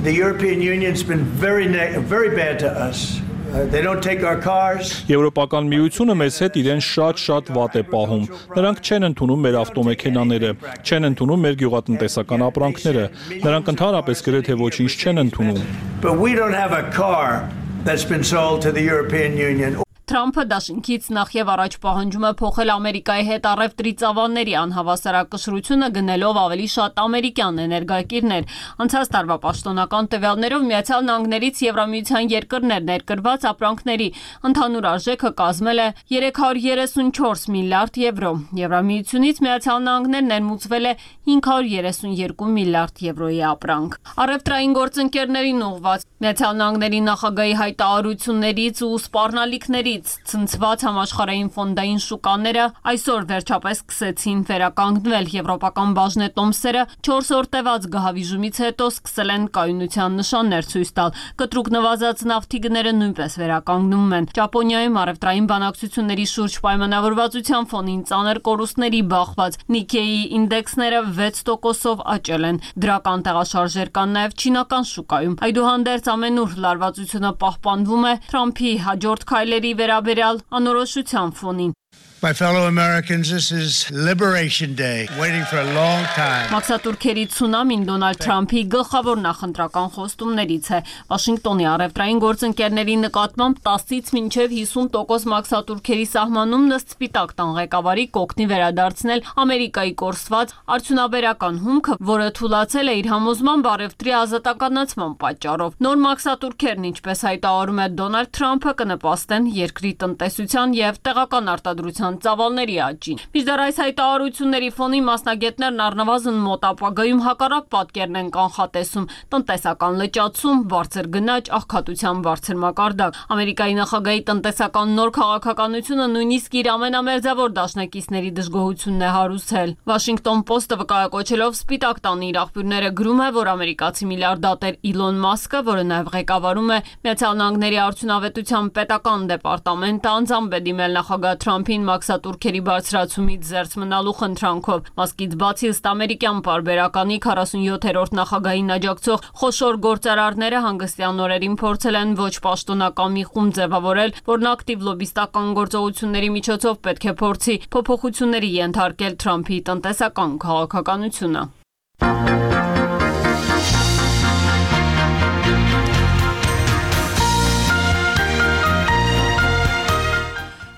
The European Union's been very bad to us. They don't take our cars. Եվրոպական միությունը մեզ հետ իրեն շատ վատ է պահում։ Նրանք չեն ընդունում մեր ավտոմեքենաները, չեն ընդունում մեր գյուղատնտեսական ապրանքները։ Նրանք ընդհանրապես գրեթե ոչինչ չեն ընդունում։ But we don't have a car that's been sold to the European Union. Թրամփը դաշինքից նախ եւ առաջ պահանջում է փոխել Ամերիկայի հետ առևտրի ծավալների անհավասարակշռությունը գնելով ավելի շատ ամերիկյան էներգակիրներ։ Անցած տարվա պաշտոնական տվյալներով Միացյալ Նահանգներից Եվրամիության երկրներ ներկրված ապրանքների ընդհանուր արժեքը կազմել է 334 միլիարդ եվրո։ Եվրամիությունից Միացյալ Նահանգներ ներմուծվել է 532 միլիարդ եվրոյի ապրանք։ Առևտրային գործընկերներին ուղղված Միացյալ Նահանգների նախագահի հայտարարություններից ու սպառնալիքներից ցնցված համաշխարհային ֆոնդային շուկաները այսօր վերջապես սկսեցին վերականգնվել։ Եվրոպական բաժնետոմսերը 4 օր տևած գահավիժումից հետո սկսել են կայունության նշաններ ցույց տալ։ Կտրուկ նվազած նավթի գները նույնպես վերականգնում են։ Ճապոնիայում առևտրային բանակցությունների շուրջ պայմանավորվածության ֆոնին ծանր կորուստների բախված Nikkei ինդեքսները 6%-ով աճել են։ Դրական տեղաշարժեր կան նաև չինական շուկայում։ Այդուհանդերձ ամենուր լարվածությունը պահպանվում է Թրամփի հաջորդ քայլերի վերաբերյալ անորոշության ֆոնին։ My fellow Americans, this is Liberation Day, waiting for a long time. Մաքսատուրքերի ցունամին Դոնալդ Թրամփի գլխավոր նախընտրական խոստումներից է։ Վաշինգտոնի առևտրային գործընկերների նկատմամբ 10-ից մինչև 50% մաքսատուրքերի սահմանումն ըստ Սպիտակ տան ղեկավարի կօգնի վերադարձնել Ամերիկայի կորսված արդյունաբերական հումքը, որը թուլացել է իր համոզմամբ առևտրի ազատականացման պատճառով։ Նոր մաքսատուրքերն, ինչպես հայտարարում է Դոնալդ Թրամփը, կնպաստեն երկրի տնտեսության եւ տեղական արտադրության ծավալների աճին։ Մինչդեռ այս հայտարարությունների ֆոնին մասնագետներն առնվազն մոտ ապագայում հակառակ պատկերն են կանխատեսում՝ տնտեսական լճացում, բարձր գնաճ, աղքատության բարձր մակարդակ։ Ամերիկայի նախագահի տնտեսական նոր քաղաքականությունը նույնիսկ իր ամենամերձավոր դաշնակիցների դժգոհությունն է հարուցել։ Washington Post-ը վկայակոչելով Սպիտակ տան իր աղբյուրները գրում է, որ ամերիկացի միլիարդատեր Իլոն Մասկը, որը նաև ղեկավարում է Միացյալ Նահանգների արդյունավետության պետական դեպարտամենտը, անձամբ է դիմել նախագահ Թրամփին մաքսատուրքերի բարձրացումից զերծ մնալու խնդրանքով։ Մասկից բացի ըստ ամերիկյան պարբերականի 47-րդ նախագահին աջակցող խոշոր գործարարները հանգստյան օրերին փորձել են ոչ պաշտոնական մի խումբ ձևավորել, որն ակտիվ լոբիստական գործողությունների միջոցով պետք է փորձի փոփոխությունների ենթարկել Թրամփի տնտեսական քաղաքականությունը։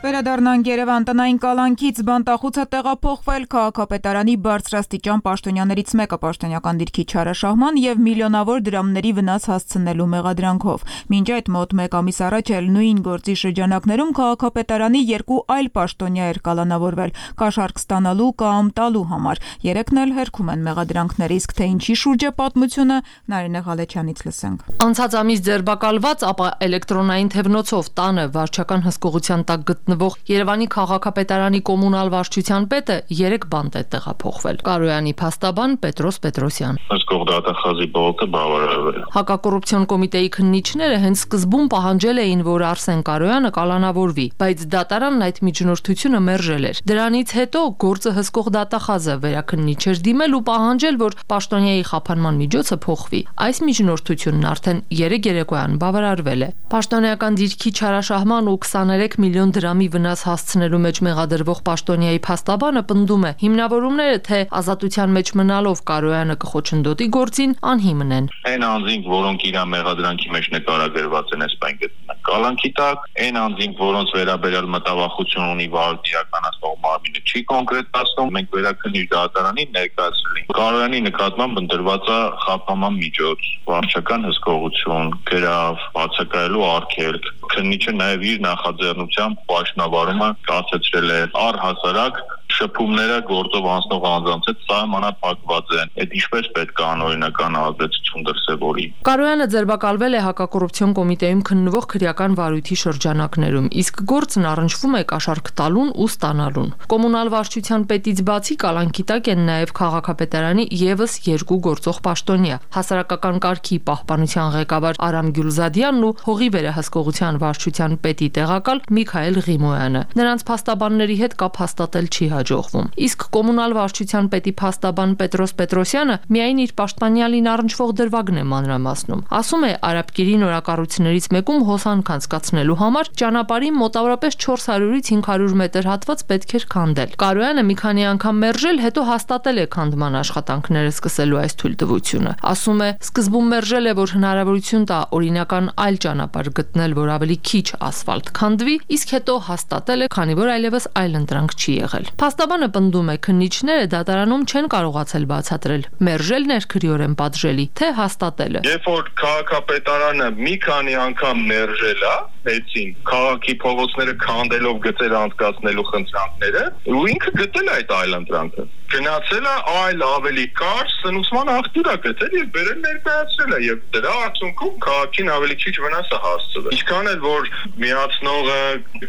Վերադառնանք Երևան տնային կալանքից բանտախուցը տեղափոխվել քաղաքապետարանի բարձրաստիճան պաշտոնյաներից մեկը պաշտոնյական դիրքի չարաշահման եւ միլիոնավոր դրամների վնաս հասցնելու մեղադրանքով։ Մինչ այդ մոտ 1 ամիս առաջ էլ նույն գործի շրջանակներում քաղաքապետարանի 2 այլ պաշտոնյա էր կալանավորվել կաշառք ստանալու կամ տալու համար։ Երեքն էլ հերքում են մեղադրանքներ, իսկ թե ինչի շուրջ է պատմությունը Նարինե Ղալեչյանից լսենք։ Անցած ամիս ձերբակալված, ապա էլեկտրոնային թևնոցով տանը վարչական հսկողության տակ գտնվող Երևանի քաղաքապետարանի կոմունալ վարչության պետը 3 բանտ է տեղափոխվել։ Կարոյանի փաստաբան Պետրոս Պետրոսյան։ Հսկող դատախազի բողոքը բավարարվել է։ Հակակոռուպցիոն կոմիտեի քննիչները հենց սկզբում պահանջել էին, որ Արսեն Կարոյանը կալանավորվի, բայց դատարանն այդ միջնորդությունը մերժել էր։ Դրանից հետո գործը հսկող դատախազը վերաքննիչ էր դիմել ու պահանջել, որ պաշտոնյայի խափանման միջոցը փոխվի։ Այս միջնորդությունն արդեն 3 երեկոյան բավարարվել է։ Պաշտոնյական դիրքի չարաշահման ու 23 միլիոն դրամի վնաս հասցնելու մեջ մեղադրվող պաշտոնյայի փաստաբանը պնդում է, հիմնավորումները թե ազատության մեջ մնալով Կարոյանը կխոչընդոտի գործին անհիմն են։ Այն անձինք, որոնք իր մեղադրանքի մեջ նկարագրված են, այսպես գտնվում կալանքի տակ, այն անձինք, որոնց վերաբերյալ մտավախություն ունի վարույթ իրականացնող մարմինը չի կոնկրետացնում, մենք վերաքննիչ դատարանին ներկայացրել ենք։ Կարոյանի նկատմամբ ընտրված է խափանման միջոց, վարչական հսկողություն, գրավ, բացակայելու արգելք։ Քննիչը նաև իր նախաձեռնությամբ պաշտոնավարումը կասեցրել է առհասարակ շփումները գործով անցնող անձանց հետ սահմանափակված են։ Այդ ինչպես պետք է անօրինական ազդեցություն դրսևորի։ Կարոյանը ձերբակալվել է հակակոռուպցիոն կոմիտեում քննվող քրեական վարույթի շրջանակներում, իսկ գործն առնչվում է կաշառք տալուն ու ստանալուն։ Կոմունալ վարչության պետից բացի կալանքի տակ են նաև քաղաքապետարանի եւս 2 գործող պաշտոնյա՝ հասարակական կարգի պահպանության ղեկավար Արամ Գյուլզադյանն ու հողի վերահսկողության վարչության պետի տեղակալ Միքայել Ղիմոյանը։ Նրանց փաստաբանների հետ կապ հաստատել չի հաջողվում։ Իսկ կոմունալ վարչության պետի փաստաբան Պետրոս Պետրոսյանը միայն իր պաշտպանյալին առնչվող դրվագն է մանրամասնում։ Ասում է, Արաբկիրի նորակառույցներից մեկում հոսանք անցկացնելու համար ճանապարհի մոտավորապես 400-ից 500 մետր հատված պետք էր քանդել։ Կարոյանը մի քանի անգամ մերժել, հետո հաստատել է քանդման աշխատանքները սկսելու այս թույլտվությունը։ Ասում է, սկզբում մերժել է, որ հնարավորություն տա օրինական այլ ճանապարհ գտնել, որ ավելի քիչ ասֆալտ քանդվի, իսկ հետո հաստատել է, քանի որ այլևս այլ ընտրանք չի եղել։ Փաստաբանը պնդում է, քննիչները դատարանում չեն կարողացել բացատրել, մերժելն էր քրեորեն պատժելի, թե հաստատելը։ Երբ որ քաղաքապետարանը մի քանի անգամ մերժել է,եցին քաղաքի փողոցները քանդելով գծեր անցկացնելու խնդրանքները, ու ինքը գտել է այդ այլ ընտրանքը։ Գնացել է այլ ավելի կարճ սնուցման աղբյուր է գտել եւ բերել ներկայացրել է եւ դրա արդյունքում քաղաքին ավելի քիչ վնաս է հասցվել։ Ինչքան էլ որ միացնողը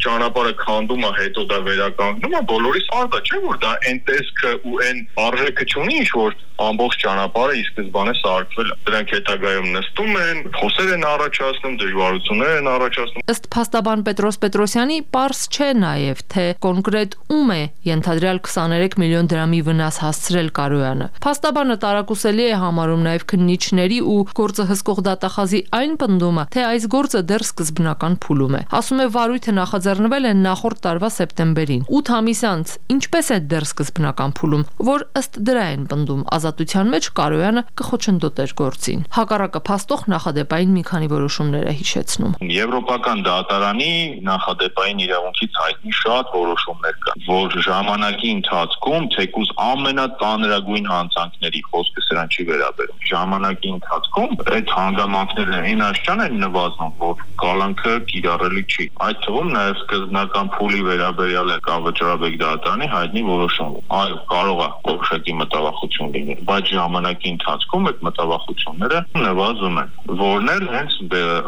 ճանապարհը քանդում է, հետո դա վերականգնում է, բոլորիս արդ է, չէ՞ որ դա այն տեսքը ու այն արժեքը չունի, ինչ որ ամբողջ ճանապարհը ի սկզբանե սարքվել է։ Դրանք հետագայում նստում են, խոսեր են առաջացնում, դժվարություններ են առաջացնում։ Ըստ փաստաբան Պետրոս Պետրոսյանի, պարզ չէ նաև, թե կոնկրետ ում է ենթադրյալ 23 միլիոն դրամի վնաս հասցրել Կարոյանը։ Փաստաբանը տարակուսելի է համարում նաև քննիչների ու գործը հսկող դատախազի այն պնդումը, թե այս գործը դեռ սկզբնական փուլում է։ Ասում է, վարույթը նախաձեռնվել է նախորդ տարվա սեպտեմբերին, 8 ամիս անց, ինչպես է դեռ սկզբնական փուլում, որ ըստ դրա են պնդում ազատության մեջ Կարոյանը կխոչընդոտեր գործին։ Հակառակը փաստող նախադեպային մի քանի որոշումներ է հիշեցնում։ Եվրոպական դատարանի նախադեպային իրավունքից հայտնի շատ որոշումներ կան, որ ժամանակի ընթացքում թեկուզ ամենածանրագույն հանցանքների խոսքը սրան չի վերաբերում։ Ժամանակի ընթացքում այդ հանգամանքներն այն աշճան են նվազում, որ կալանքը կիրառելի չի։ Այդ թվում նաև սկզբնական փուլի վերաբերյալ է Վճռաբեկ դատարանի հայտնի որոշումը։ Այո, կարող է որոշակի մտավախություն լինել, բայց ժամանակի ընթացքում այդ մտավախությունները նվազում են, որն էլ հենց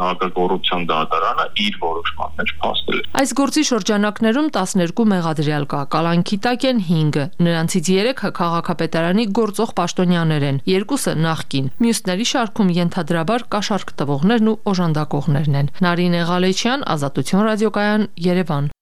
հակակոռուպցիոն դատարանը իր որոշման մեջ փաստել է։ Այս գործի շրջանակներում 12 մեղադրյալ կա, կալանքի տակ են 5, նրանցից 3-ը քաղաքապետարանի գործող պաշտոնյաներ են, 2-ը նախկին, մյուսների շարքում ենթադրաբար կաշառք տվողներն ու օժանդակողներն են։ Նարինե Ղալեչյան, Ազատություն ռադիոկայան, Երևան։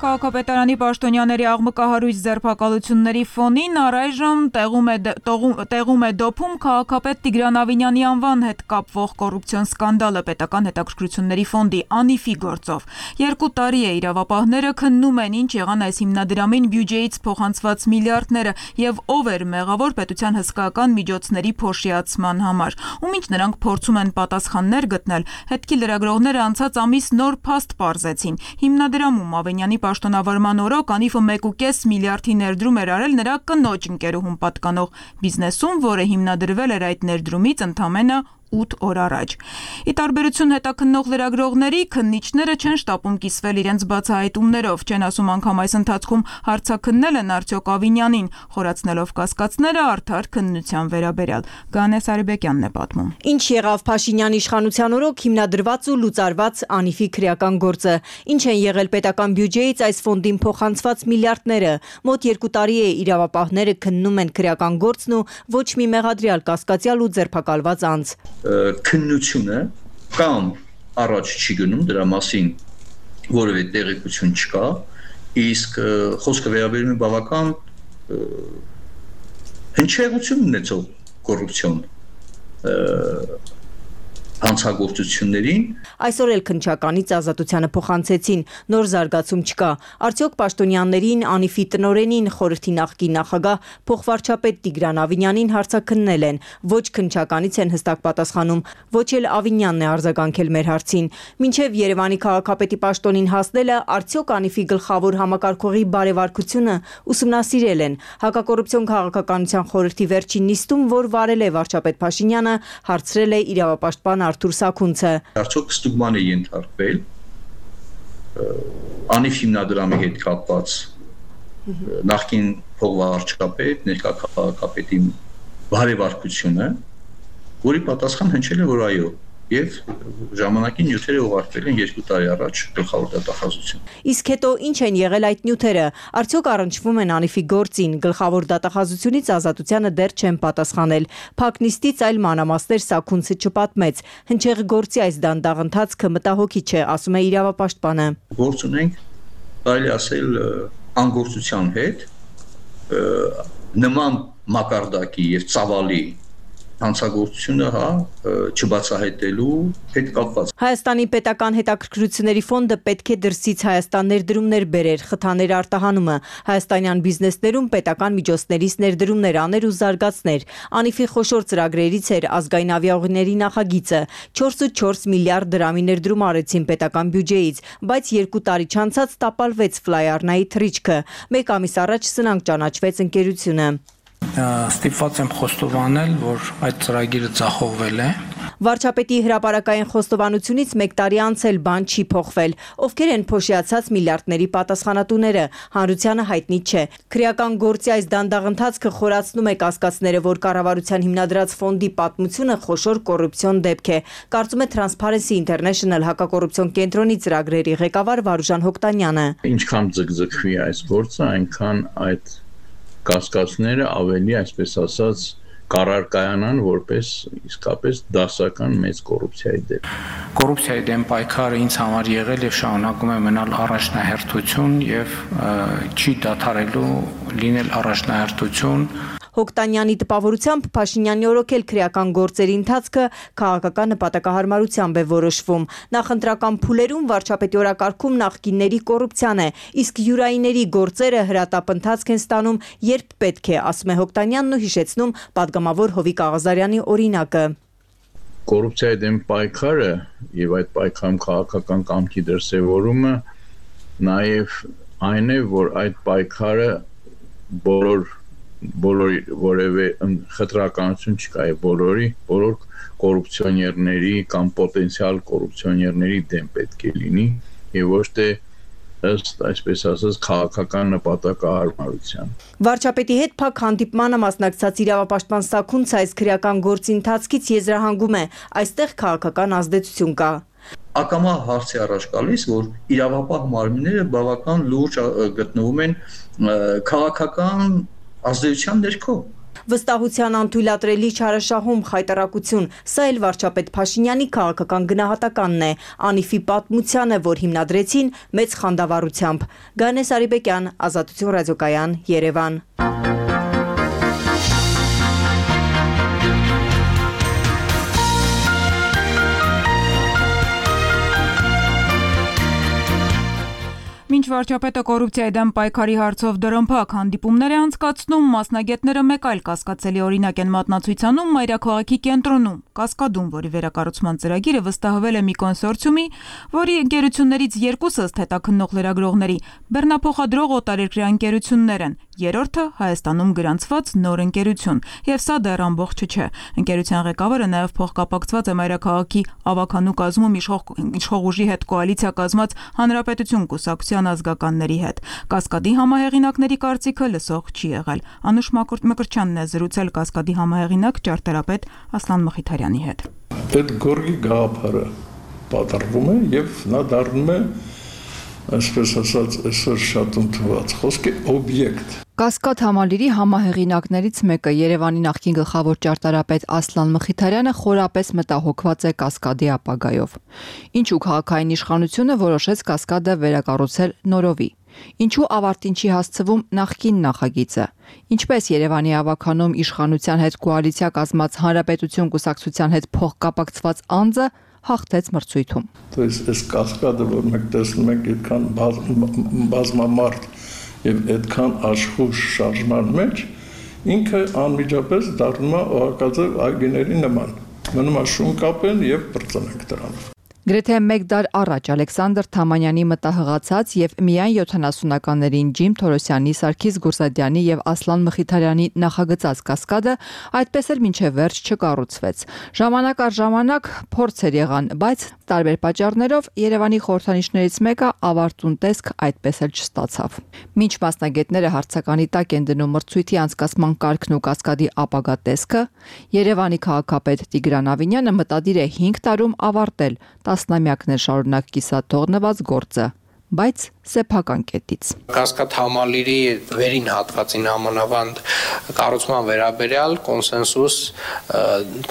Քաղաքապետարանի պաշտոնյաների աղմկահարույց ձերբակալությունների ֆոնին առայժմ տեղում է դոփում քաղաքապետ Տիգրան Ավինյանի անվան հետ կապվող կոռուպցիոն սկանդալը պետական հետաքրքրությունների ֆոնդի ANIF-ի գործով։ 2 տարի է իրավապահները քննում են ինչ եղան այս հիմնադրամին բյուջեից փոխանցված միլիարդները եւ ով էր մեղավոր պետության հսկայական միջոցների փոշիացման համար։ Ումինչ նրանք փորձում են պատասխաններ գտնել, հետքի լրագրողները անցած ամիս նոր փաստ պարզեցին։ Հիմնադրամում Ավինյանի պաշտոնավարման օրոք ANIF-ը 1.5 միլիարդի ներդրում էր արել նրա կնոջ ընկերուհուն պատկանող բիզնեսում, որը հիմնադրվել էր այդ ներդրումից ընդամենը 8 օր առաջ։ Ի տարբերություն հետաքննող լրագրողների, քննիչները չեն շտապում կիսվել իրենց բացահայտումներով, չեն ասում անգամ այս ընթացքում հարցաքննել են արդյոք Ավինյանին, խորացնելով կասկածները արդար քննության վերաբերյալ։ Գանե Սարիբեկյանն է պատմում։ Ինչ եղավ Փաշինյանի իշխանության օրոք հիմնադրված ու լուծարված ANIF-ի քրեական գործը, ինչ են եղել պետական բյուջեից այս ֆոնդին փոխանցված միլիարդները, մոտ 2 տարի է իրավապահները քննում են քրեական գործն ու ոչ մի մեղադրյալ, կասկածյալ ու ձերբակալված անձ։ Քննությունը կամ առաջ չի գնում, դրա մասին որևէ տեղեկություն չկա, իսկ խոսքը վերաբերում է բավական հնչեղություն ունեցող կոռուպցիոն հանցագործություններին։ Այսօր էլ քննչականից Ազատությանը փոխանցեցին, նոր զարգացում չկա։ Արդյոք պաշտոնյաներին, ANIF-ի տնօրենին, խորհրդի նախկին նախագահ փոխվարչապետ Տիգրան Ավինյանին հարցաքննել են։ Ոչ քննչականից են հստակ պատասխանում, ոչ էլ Ավինյանն է արձագանքել մեր հարցին։ Մինչև Երևանի քաղաքապետի պաշտոնին հասնելը արդյոք ANIF-ի գլխավոր համակարգողի բարեվարկությունը ուսումնասիրել են։ Հակակոռուպցիոն քաղաքականության խորհրդի վերջին նիստում, որ վարել է վարչապետ Փաշինյանը, հարցրել է իրավապաշտպան Արթուր Սաքունցը։ Արդյոք ստուգման է ենթարկվել ANIF հիմնադրամի հետ կապված նախկին փոխվարչապետ, ներկա քաղաքապետի բարեվարկությունը, որի պատասխան հնչել է, որ այո, եւ ժամանակին նյութերը ուղարկվել են 2 տարի առաջ գլխավոր դատախազություն։ Իսկ հետո ինչ են եղել այդ նյութերը? Արդյոք առնչվում են Անիֆի գործին? Գլխավոր դատախազությունից ազատությանը դեռ չեն պատասխանել։ Փակնիստից այլ մանրամասներ Սաքունցը չպատմեց։ Հնչեղ գործի այս դանդաղ ընթացքը մտահոգի չէ, ասում է իրավապաշտպանը։ Գործ ունենք, կարելի ասել, անգործության հետ, նման մակարդակի եւ ծավալի հանցագործությունը չբացահայտելու հետ կապված։ Հայաստանի պետական հետաքրքրությունների ֆոնդը պետք է դրսից Հայաստան ներդրումներ բերեր, խթաներ արտահանումը, հայաստանյան բիզնեսներում պետական միջոցներից ներդրումներ աներ ու զարգացներ։ Անիֆի խոշոր ծրագրերից էր ազգային ավիաուղիների նախագիծը։ 4.4 միլիարդ դրամի ներդրում արեցին պետական բյուջեից, բայց 2 տարի չանցած տապալվեց Ֆլայ-Արնայի թռիչքը։ 1 ամիս առաջ սնանկ ճանաչվեց ընկերությունը։ Ստիպված եմ խոստովանել, որ այդ ծրագիրը ձախողվել է։ Վարչապետի հրապարակային խոստովանությունից 1 տարի անց էլ բան չի փոխվել։ Ովքեր են փոշիացած միլիարդների պատասխանատուները, հանրությանը հայտնի չէ։ Քրեական գործի այս դանդաղ ընթացքը խորացնում է կասկածները, որ կառավարության հիմնադրած ֆոնդի պատմությունը խոշոր կոռուպցիոն դեպք է, կարծում է Transparency International հակակոռուպցիոն կենտրոնի ծրագրերի ղեկավար Վարուժան Հոկտանյանը։ Ինչքան ձգձգվի այս գործը, այնքան այդ կասկածները ավելի, այսպես ասած, կառարկայանան որպես իսկապես դասական մեծ կոռուպցիայի դեպք։ Կոռուպցիայի դեմ պայքարը ինձ համար եղել եւ շարունակում է մնալ առաջնահերթություն եւ չի դադարելու լինել առաջնահերթություն։ Հոկտանյանի տպավորությամբ Փաշինյանի օրոքել քրեական գործերի ընթացքը քաղաքական նպատակահարմարությամբ է որոշվում։ Նախընտրական փուլերում վարչապետի օրակարգում նախկինների կոռուպցիան է, իսկ յուրայինների գործերը հրատապ ընթացք են ստանում, երբ պետք է, ասում է Հոկտանյանն ու հիշեցնում падգամավոր Հովիկ Աղազարյանի օրինակը։ Կոռուպցիայի դեմ պայքարը եւ այդ պայքարում քաղաքական կամքի դրսեւորումը նաեւ այն է, որ այդ պայքարը բոլոր որևէ խտրականություն չկա բոլոր կոռուպցիոներների կամ պոտենցիալ կոռուպցիոներների դեմ պետք է լինի եւ ոչ թե ըստ այսպես ասած քաղաքական նպատակահարմարության։ Վարչապետի հետ փակ հանդիպմանը մասնակցած իրավապաշտպան Սաքունցը այս քրեական գործի ընթացքից եզրահանգում է, այստեղ քաղաքական ազդեցություն կա։ Ակամա հարցի առաջ գալիս, որ իրավապահ մարմինները բավական լուրջ գտնվում են քաղաքական ազդեցության ներքո։ Վստահության անթույլատրելի չարաշահում խայտարակություն, սա էլ վարչապետ Փաշինյանի քաղաքական գնահատականն է, Անիֆի պատմությանը, որ հիմնադրեցին մեծ խանդավառությամբ։ Գանես Արիբեկյան, Ազատություն ռադիոկայան, Երևան։ Մինչ վարչապետը կոռուպցիայի դեմ պայքարի հարցով դրամփակ հանդիպումներ է անցկացնում, մասնագետները մեկ այլ կասկածելի օրինակ են մատնացույցանում մայրաքաղաքի կենտրոնում, Կասկադում, որի վերակառուցման ծրագիրը վստահվել է մի կոնսորցիումի, որի ընկերություններից երկուսը ըստ հետաքննող լրագրողների բեռնափոխադրող օտարերկրյա ընկերություններ են, երրորդը Հայաստանում գրանցված նոր ընկերություն, եւ սա դեռ ամբողջը չէ։ Ընկերության ղեկավարը նաեւ փոխկապակցված է մայրաքաղաքի ավականու կազմում իշխող ուժի հետ կոալիցիա կազմած Հանրապետություն կուսակցության ազգականների հետ։ Կասկադի համահեղինակների կարծիքը լսող չի եղել։ Անուշ Մկրտչյանն է զրուցել Կասկադի համահեղինակ ճարտարապետ Ասլան Մխիթարյանի հետ։ Այդ գորգի գաղափարը պատրվում է եւ նա դառնում է, այսպես ասած, այսօր շատ ընդունված խոսքի օբյեկտ։ Կասկադ համալիրի համահեղինակներից մեկը Երևանի նախկին գլխավոր ճարտարապետ Ասլան Մխիթարյանը խորապես մտահոգված է Կասկադի ապագայով։ Ինչու քաղաքային իշխանությունը որոշեց Կասկադը վերակառուցել նորովի։ Ինչու ավարտին չի հասցվում նախկին նախագիծը։ Ինչպես Երևանի ավականում իշխանության հետ կոալիցիա կազմած Հանրապետություն կուսակցության հետ փոխկապակցված անձը հաղթեց մրցույթում։ То есть այս Կասկադը, որ մենք տեսնում ենք, այդքան բազմամարդ եւ այդքան աշխուժ շարժման մեջ, ինքը անմիջապես դառնում է օղակաձև այգիների նման։ Մնում է շուն կապեն եւ բրծնենք դրանով։ Գրեթե 1 դար առաջ Ալեքսանդր Թամանյանի մտահղացած եւ միայն 70-ականներին Ջիմ Թորոսյանի, Սարգիս Գուրզադյանի եւ Ասլան Մխիթարյանի նախագծած կասկադը այդպես էլ մինչեւ վերջ չկառուցվեց։ Ժամանակ առ ժամանակ փորձեր եղան, բայց տարբեր պատճառներով Երևանի խորհրդանիշներից մեկը ավարտուն տեսք այդպես էլ չստացավ։ Մինչ մասնագետները հարցականի տակ են դնում մրցույթի անցկացման կարգն ու կասկադի ապագա տեսքը, Երևանի քաղաքապետ Տիգրան Ավինյանը մտադիր է 5 տարում ավարտել տասնամյակներ շարունակ կիսաթողնված գործը, բայց սեփական կետից։ Կասկադ համալիրի վերին հատվածին համանավանդ կառուցման վերաբերյալ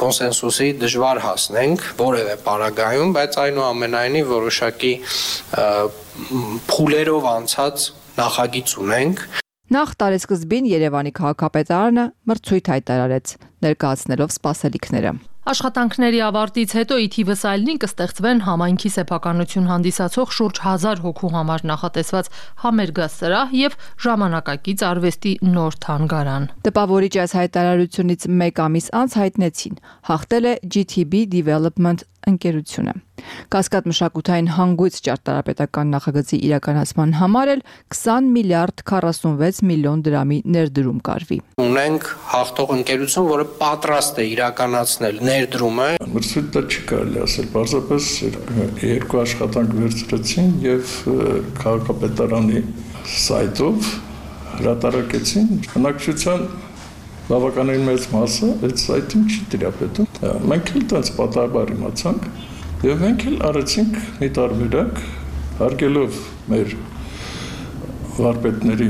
կոնսենսուսի դժվար հասնենք որևէ պարագայում, բայց այնուամենայնիվ որոշակի փուլերով անցած նախագիծ ունենք։ Նախ տարեսկզբին Երևանի քաղաքապետարանը մրցույթ հայտարարեց, ներկայացնելով սպասելիքները։ Աշխատանքների ավարտից հետո ի թիվս այլնին կստեղծվեն համայնքի սեփականություն հանդիսացող շուրջ 1000 հոգու համար նախատեսված համերգասրահ եւ ժամանակակից արվեստի նոր թանգարան։ Տպավորիչ այս հայտարարությունից 1 ամիս անց հայտնեցին, հաղթել է GTB Development ընկերությունը։ Կասկադ մշակութային հանգույց ճարտարապետական նախագծի իրականացման համար էլ 20 միլիարդ 46 միլիոն դրամի ներդրում կարվի։ Ունենք հաղթող ընկերություն, որը պատրաստ է իրականացնել ներդրումը։ Մրցույթը չի կարելի ասել, պարզապես 2 աշխատանք վերցրեցին եւ քաղաքապետարանի սայթով հրատարակեցին։ Բնակչության բավականին մեծ մասը այդ սայթին չի տիրապետում։ Մենք էլ տենց պատահաբար իմացանք եւ մենք էլ արեցինք մի տարբերակ, հարգելով մեր վարպետների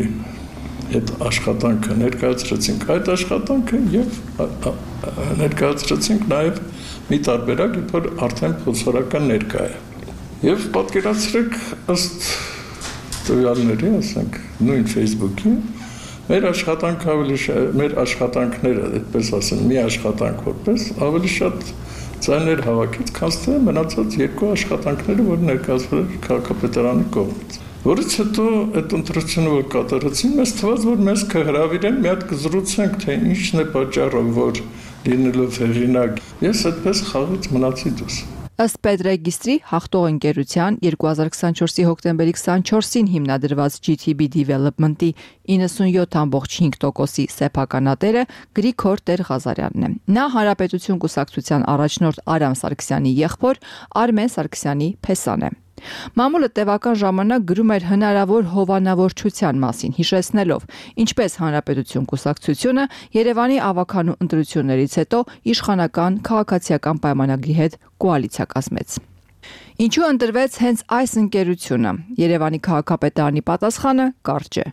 այդ աշխատանքը ներկայացրեցինք այդ աշխատանքը եւ ներկայացրեցինք նաեւ մի տարբերակ, որ արդեն փորձարական ներկա է։ Եվ պատկերացրեք ըստ տվյալների, ասենք, նույն Facebook-ի մեր աշխատանքները, այդպես ասեմ, մի աշխատանք որպես ավելի շատ ձայներ հավաքեց, քան թե մնացած 2 աշխատանքները, որ ներկայացվել էր քաղաքապետարանի կողմից։ Որից հետո այդ ընտրությունը որ կատարեցին, մեզ թվաց, որ մեզ կհրավիրեն, մի հատ կզրուցենք, թե ինչն է պատճառը, որ լինելով հեղինակ, ես այդպես խաղից մնացի դուրս։ Ըստ Պետրեգիստրի հաղթող ընկերության 2024-ի հոկտեմբերի 24-ին հիմնադրված GTB Development-ի 97.5%-ի սեփականատերը Գրիգոր Տեր-Ղազարյանն է։ Նա Հանրապետություն կուսակցության առաջնորդ Արամ Սարգսյանի եղբոր Արմեն Սարգսյանի փեսան է։ Մամուլը տևական ժամանակ գրում էր հնարավոր հովանավորչության մասին, հիշեցնելով, ինչպես Հանրապետություն կուսակցությունը Երևանի ավականու ընտրություններից հետո իշխանական քաղաքացիական պայմանագրի հետ կոալիցիա կազմեց։ Ինչու ընտրվեց հենց այս ընկերությունը։ Երևանի քաղաքապետարանի պատասխանը կարճ է։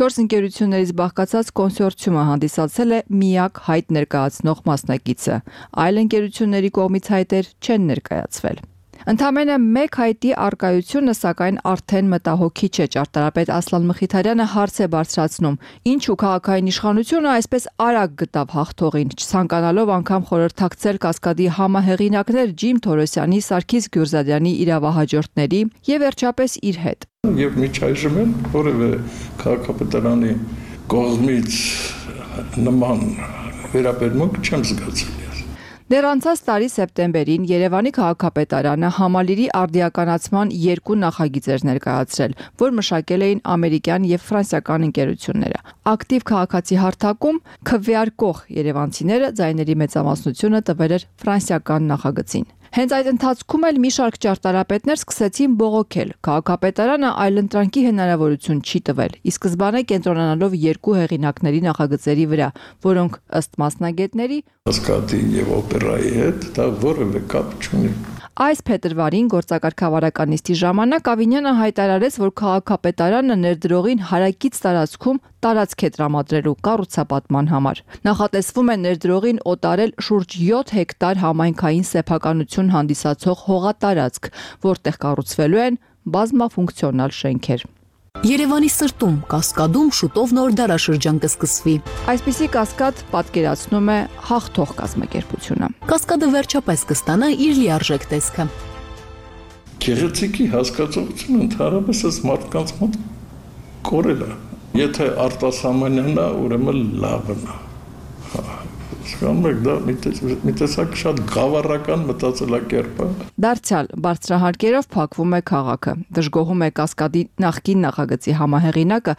4 ընկերություններից բաղկացած կոնսորցիումը հանդիսացել է միակ հայտ ներկայացնող մասնակիցը։ Այլ ընկերությունների կողմից հայտեր չեն ներկայացվել։ Ընդամենը 1 հայտի արկայությունը սակայն արդեն մտահոգիչ է, ճարտարապետ Ասլան Մխիթարյանը հարց է բարձրացնում. ինչու քաղաքային իշխանությունը այսպես արագ գտավ հաղթողին, չցանկանալով անգամ խորհրդակցել կասկադի համահեղինակներ Ջիմ Թորոսյանի, Սարգիս Գուրզադյանի իրավահաջորդների եւ վերջապես իր հետ։ Եվ միջայժմ էլ որևէ քաղաքապետարանի կողմից նման վերաբերմունք չեմ զգացել։ Դեռ անցած տարի սեպտեմբերին Երևանի քաղաքապետարանը համալիրի արդիականացման 2 նախագիծեր ներկայացրել, որ մշակել էին ամերիկյան եւ ֆրանսիական ընկերությունները։ Ակտիվ քաղաքացի հարթակում քվեարկող երևանցիները ձայների մեծամասնությունը տվել էր ֆրանսիական նախագծին։ Հենց այդ ընթացքում էլ մի շարք ճարտարապետներ սկսեցին բողոքել։ Քաղաքապետարանը այլընտրանքի հնարավորություն չի տվել, ի սկզբանե կենտրոնանալով 2 հեղինակների նախագծերի վրա, որոնք ըստ մասնագետների Ասկատի եւ օպերայի հետ դա որևէ կապ չունի։ Այս փետրվարին գործակարգավարական նիստի ժամանակ Ավինյանը հայտարարեց, որ քաղաքապետարանը ներդրողին հարակից տարածքում տարածք է տրամադրելու կառուցապատման համար։ Նախատեսվում է ներդրողին օտարել շուրջ 7 հեկտար համայնքային սեփականություն հանդիսացող հողատարածք, որտեղ կառուցվելու են բազմաֆունկցիոնալ շենքեր։ Երևանի սրտում Կասկադում շուտով նոր դարաշրջան կսկսվի։ Այսպիսի կասկադ պատկերացնում է հաղթող կազմակերպությունը։ Կասկադը վերջապես կստանա իր լիարժեք տեսքը։ Գեղեցիկի հասկացողությունը ընդհանրապես այս մարդկանց մոտ կորել է։ Եթե արտասահմանյան է, ուրեմն լավն է։ Հասկանում եք, դա մի տեսակ շատ գավառական մտածելակերպ է։ Դարձյալ բարձրահարկերով փակվում է քաղաքը։ Դժգոհում է Կասկադի նախկին նախագծի համահեղինակը,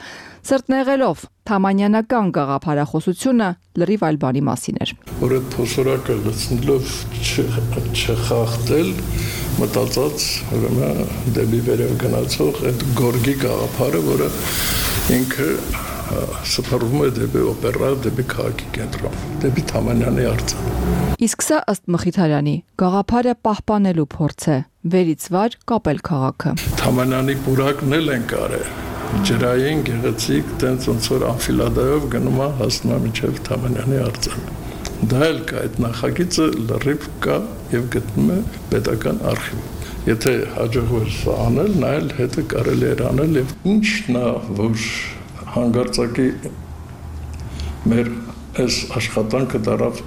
սրտնեղելով Թամանյանական գաղափարախոսությունը լրիվ այլ բանի մասին էր։ Որ այդ փոսորակը լցնելով չխախտել, մտածած ուրեմն դեպի վերև գնացող այդ գորգի գաղափարը, որը ինքը սփռվում է դեպի օպերա, դեպի քաղաքի կենտրոն, դեպի Թամանյանի արձան։ Իսկ սա ըստ Մխիթարյանի գաղափարը պահպանելու փորձ է, վերից վար կապել քաղաքը։ Թամանյանի պուրակն էլ են կարել, ջրային, գեղեցիկ, տենց ոնց որ անֆիլադայով գնում է հասնում է մինչև Թամանյանի արձան։ Դա էլ կա, այդ նախագիծը լրիվ կա եւ գտնում է պետական արխիվում։ Եթե հաջողվեր սա անել, նա էլ հետը կարելի էր անել եւ ինչն է, որ հանգարցակի մեր այս աշխատանքը դարավ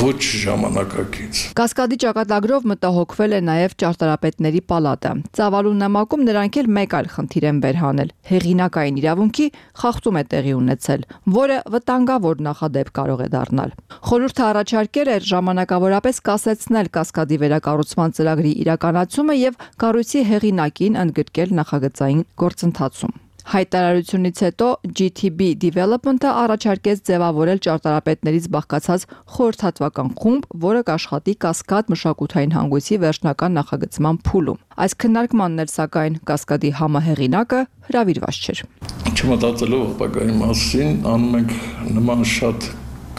ոչ ժամանակակից։ Կասկադի ճակատագրով մտահոգվել է նաև ճարտարապետների պալատը։ Ծավալու նամակում նրանք էլ մեկ այլ խնդիր են վերհանել։ Հեղինակային իրավունքի խախտում է տեղի ունեցել, որը վտանգավոր նախադեպ կարող է դառնալ։ Խորհուրդը առաջարկել էր ժամանակավորապես կասեցնել Կասկադի վերակառուցման ծրագրի իրականացումը եւ կառույցի հեղինակին ընդգրկել նախագծային գործընթացում։ Հայտարարությունից հետո GTB Development-ը առաջարկեց ձևավորել ճարտարապետներից բաղկացած խորհրդատվական խումբ, որը կաշխատի Կասկադ մշակութային հանգույցի վերջնական նախագծման փուլում։ Այս քննարկմանն էլ սակայն Կասկադի համահեղինակը հրավիրված չէր։ Չմտածելով ապագայի մասին, անում ենք նման շատ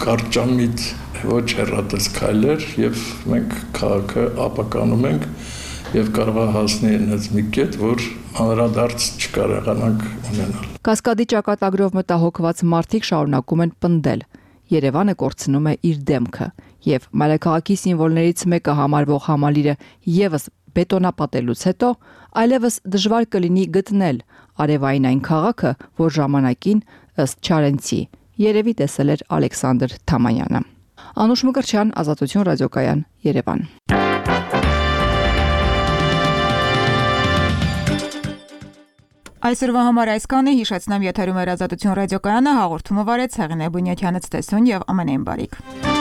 կարճամիտ ոչ հեռատես քայլեր եւ մենք քաղաքը ապականում ենք եւ կարող է հասնել այնպես մի կետ, որ անդրադարձ չկարողանանք ունենալ։ Կասկադի ճակատագրով մտահոգված մարդիկ շարունակում են պնդել։ Երևանը կորցնում է իր դեմքը եւ մայրաքաղաքի սիմվոլներից մեկը համարվող համալիրը եւս բետոնապատելուց հետո այլևս դժվար կլինի գտնել արևային այն քաղաքը, որ ժամանակին ըստ Չարենցի երևի տեսել էր Ալեքսանդր Թամանյանը։ Անուշ Մկրտչյան, Ազատություն ռադիոկայան, Երևան։ Այսօրվա համար այսքանը, հիշեցնեմ եթերում էր Ազատություն ռադիոկայանը, հաղորդումը վարեց Հեղինե Բունյաթյանը, ցտեսություն եւ ամենայն բարիք։